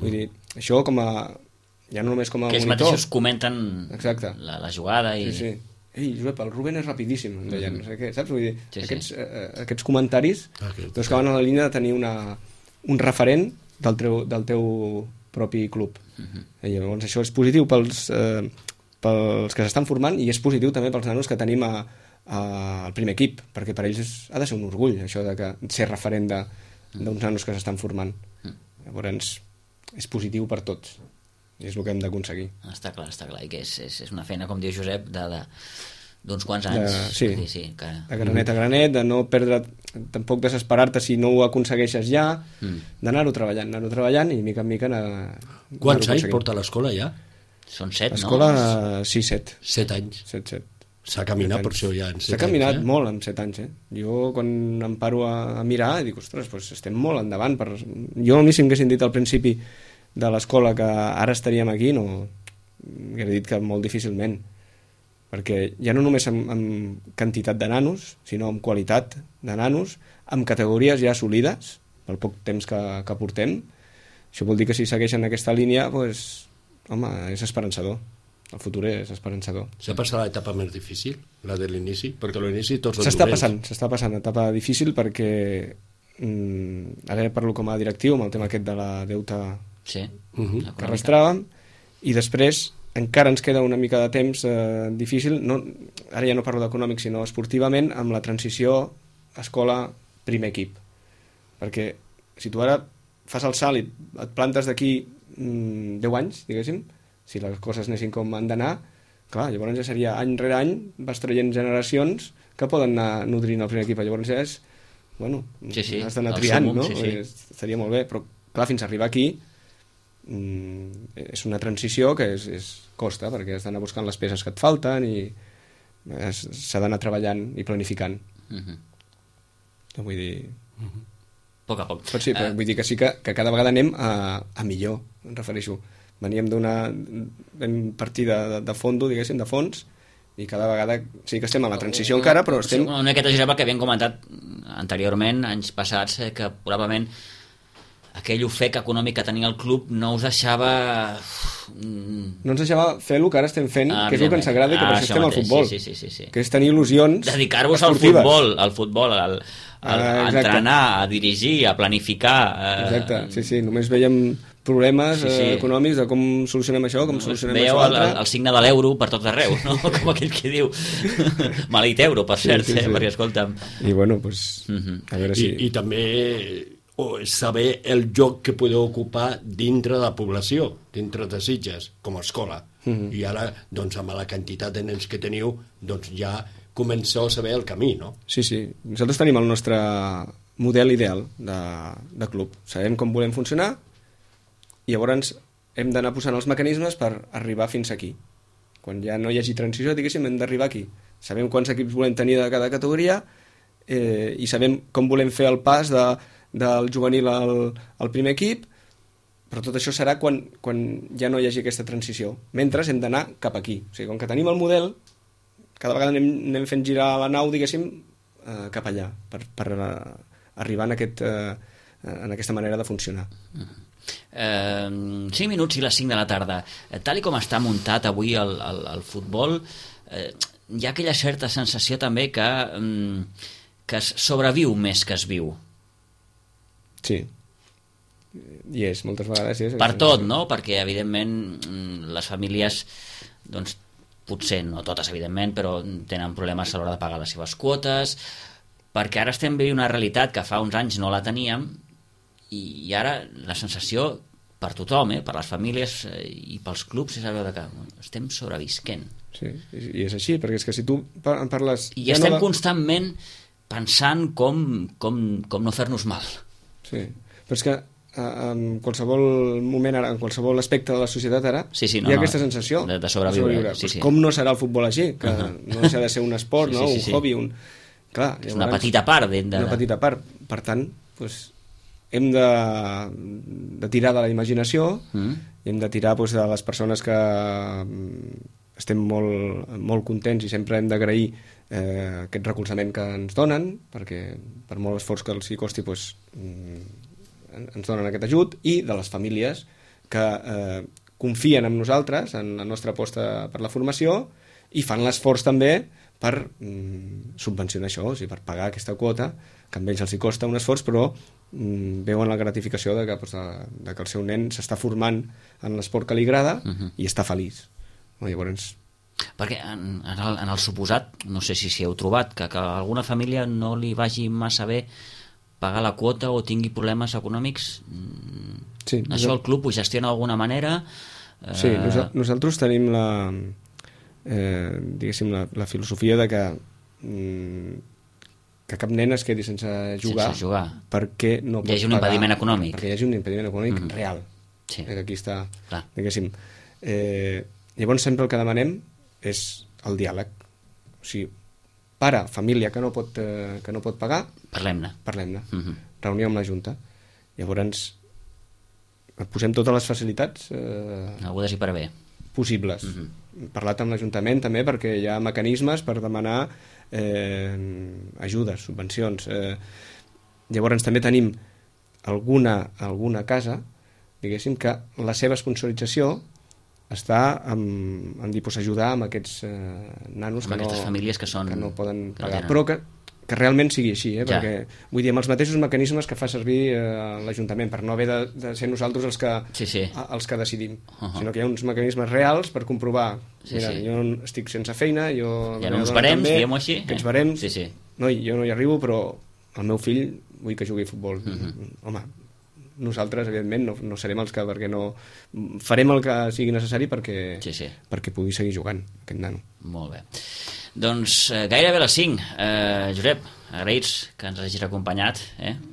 Vull dir, això com a... ja no només com a que ells monitor. mateixos comenten la jugada i... Sí. Ei, Josep, el Rubén és rapidíssim, em deien, no sé què, saps? Vull dir, aquests comentaris doncs que van a la línia de tenir un referent del teu propi club. I llavors això és positiu pels que s'estan formant i és positiu també pels nanos que tenim al primer equip, perquè per ells ha de ser un orgull això de ser referent d'uns nanos que s'estan formant. Llavors és positiu per tots i és el que hem d'aconseguir. Està clar, i que és una feina, com diu Josep, d'uns quants anys. Sí, de granet a granet, de no perdre, tampoc desesperar-te si no ho aconsegueixes ja, d'anar-ho treballant i mica en mica Quants anys porta l'escola ja? Són 7, no? L'escola, sí, 7. 7 anys. 7. S'ha caminat per això ja en 7 anys. S'ha caminat molt en 7 anys, Jo quan em paro a mirar dic, ostres, doncs estem molt endavant. Jo a mi si m'haguessin dit al principi de l'escola que ara estaríem aquí, no hauria dit que molt difícilment, perquè ja no només amb quantitat de nanos, sinó amb qualitat de nanos, amb categories ja assolides, pel poc temps que portem. Això vol dir que si segueixen aquesta línia, doncs, home, és esperançador. El futur és esperançador. S'ha passat l'etapa més difícil, la de l'inici? Perquè l'inici tots els s'està passant etapa difícil perquè ara parlo com a directiu amb el tema aquest de la deuta que arrastràvem i després encara ens queda una mica de temps difícil, ara ja no parlo d'econòmic sinó esportivament, amb la transició escola-primer equip, perquè si tu ara fas el salt i et plantes d'aquí 10 anys, diguéssim, si les coses anessin com han d'anar, clar, llavors ja seria any rere any vas traient generacions que poden anar nodrint el primer equip, llavors ja és has d'anar triant, no? Estaria molt bé, però clar, fins a arribar aquí és una transició que costa, perquè has d'anar buscant les peces que et falten i s'ha d'anar treballant i planificant. Vull dir... A poc a poc. Però sí, però vull dir que sí que cada vegada anem a millor, em refereixo. Veníem vam partir de fondo, diguéssim, de fons, i cada vegada sí que estem a la transició encara, però estem... Una miqueta, Josep, que havíem comentat anteriorment, anys passats, que probablement aquell ofec econòmic que tenia el club no us deixava... No ens deixava fer el que ara estem fent, que és el que ens agrada i que per això estem al futbol. Sí. Que és tenir il·lusions dedicar-vos al futbol, a entrenar, a dirigir, a planificar... Exacte, sí, només veiem problemes econòmics de com solucionem això, com solucionem veieu això altre. el signe de l'euro per tot arreu, no? Com aquell que diu maleït euro, per cert, perquè escolta'm, i bueno, pues, a veure si... I també saber el lloc que podeu ocupar dintre de la població, dintre de Sitges, com a escola. I ara, doncs, amb la quantitat de nens que teniu, doncs ja comenceu a saber el camí, no? Sí. Nosaltres tenim el nostre model ideal de club. Sabem com volem funcionar i llavors hem d'anar posant els mecanismes per arribar fins aquí. Quan ja no hi hagi transició, diguéssim, hem d'arribar aquí. Sabem quants equips volem tenir de cada categoria i sabem com volem fer el pas del juvenil al primer equip, però tot això serà quan ja no hi hagi aquesta transició. Mentre hem d'anar cap aquí. O sigui, com que tenim el model, cada vegada anem fent girar la nau, diguéssim, cap allà, per arribar en aquesta manera de funcionar. 5 minuts i les 5 de la tarda. Tal i com està muntat avui el futbol, hi ha aquella certa sensació també que es sobreviu més que es viu. Sí. I és, moltes vegades és. Per tot, no? Perquè, evidentment, les famílies, doncs, potser no totes, evidentment, però tenen problemes a l'hora de pagar les seves quotes, perquè ara estem veient una realitat que fa uns anys no la teníem, i ara la sensació per tothom, per les famílies i pels clubs, és allò de que estem sobrevisquent. Sí, i és així, perquè és que si tu en parles... I estem constantment pensant com no fer-nos mal. Sí, però és que en qualsevol moment ara, en qualsevol aspecte de la societat ara, hi ha aquesta sensació de sobreviure. Sí. Com no serà el futbol així? Que no deixa de ser un esport, no? Un hobby, Clar, és una petita part. Una petita part. Per tant, doncs, hem de tirar de la imaginació, i hem de tirar de les persones que estem molt contents i sempre hem d'agrair aquest recolzament que ens donen, perquè per molt esforç que els hi costi ens donen aquest ajut, i de les famílies que confien en nosaltres, en la nostra aposta per la formació, i fan l'esforç també per subvencionar això, o sigui, per pagar aquesta quota, que a ells els hi costa un esforç, però veuen la gratificació de que el seu nen s'està formant en l'esport que li agrada i està feliç. Llavors... Perquè en el suposat, no sé si heu trobat, que a alguna família no li vagi massa bé pagar la quota o tingui problemes econòmics, sí, això el club ho gestiona d'alguna manera? Sí, nosaltres tenim diguéssim, la filosofia de que cap nen es quedi sense jugar perquè no pot pagar. Hi hagi un impediment econòmic. Perquè hi hagi un impediment econòmic real. Sí. Aquí està, diguéssim. Llavors sempre el que demanem és el diàleg. O sigui, pare, família que no pot pagar, parlem-ne. Reunió amb la Junta. Llavors posem totes les facilitats algunes i per bé possibles. Parlat amb l'Ajuntament també, perquè hi ha mecanismes per demanar ajudes, subvencions. Llavors també tenim alguna casa, diguéssim, que la seva sponsorització està en ajudar amb aquests nanos aquestes famílies que no poden pagar, però que realment sigui així, perquè vull dir, amb els mateixos mecanismes que fa servir l'Ajuntament, per no haver de ser nosaltres els que decidim, sinó que hi ha uns mecanismes reals per comprovar, mira, jo estic sense feina, hi ha uns barems, diguem-ho així, aquests barems, jo no hi arribo, però el meu fill vull que jugui a futbol. Home, nosaltres, evidentment, no serem els que, perquè no farem el que sigui necessari perquè pugui seguir jugant aquest nano. Molt bé. Doncs gairebé a les 5. Josep, agraïts que ens hagis acompanyat.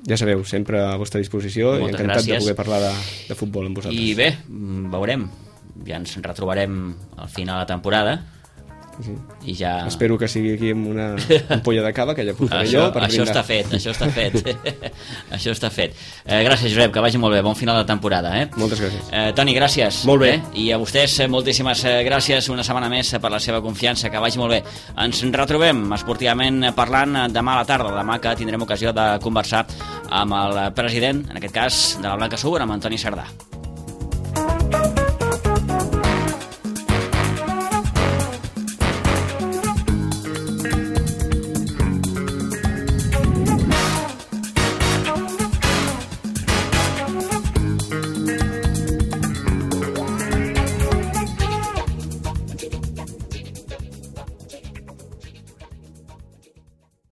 Ja sabeu, sempre a vostra disposició, i encantat de poder parlar de futbol amb vosaltres. I bé, veurem, ja ens retrobarem al final de la temporada. I ja... Espero que sigui aquí amb una ampolla de cava, que ja portaré jo per això brindar. Això està fet. Gràcies, Josep, que vagi molt bé. Bon final de temporada. Moltes gràcies. Toni, gràcies. Molt bé. I a vostès, moltíssimes gràcies una setmana més per la seva confiança. Que vagi molt bé. Ens retrobem esportivament parlant demà a la tarda, demà que tindrem ocasió de conversar amb el president, en aquest cas de la Blanca Subur, amb Antoni Sardà.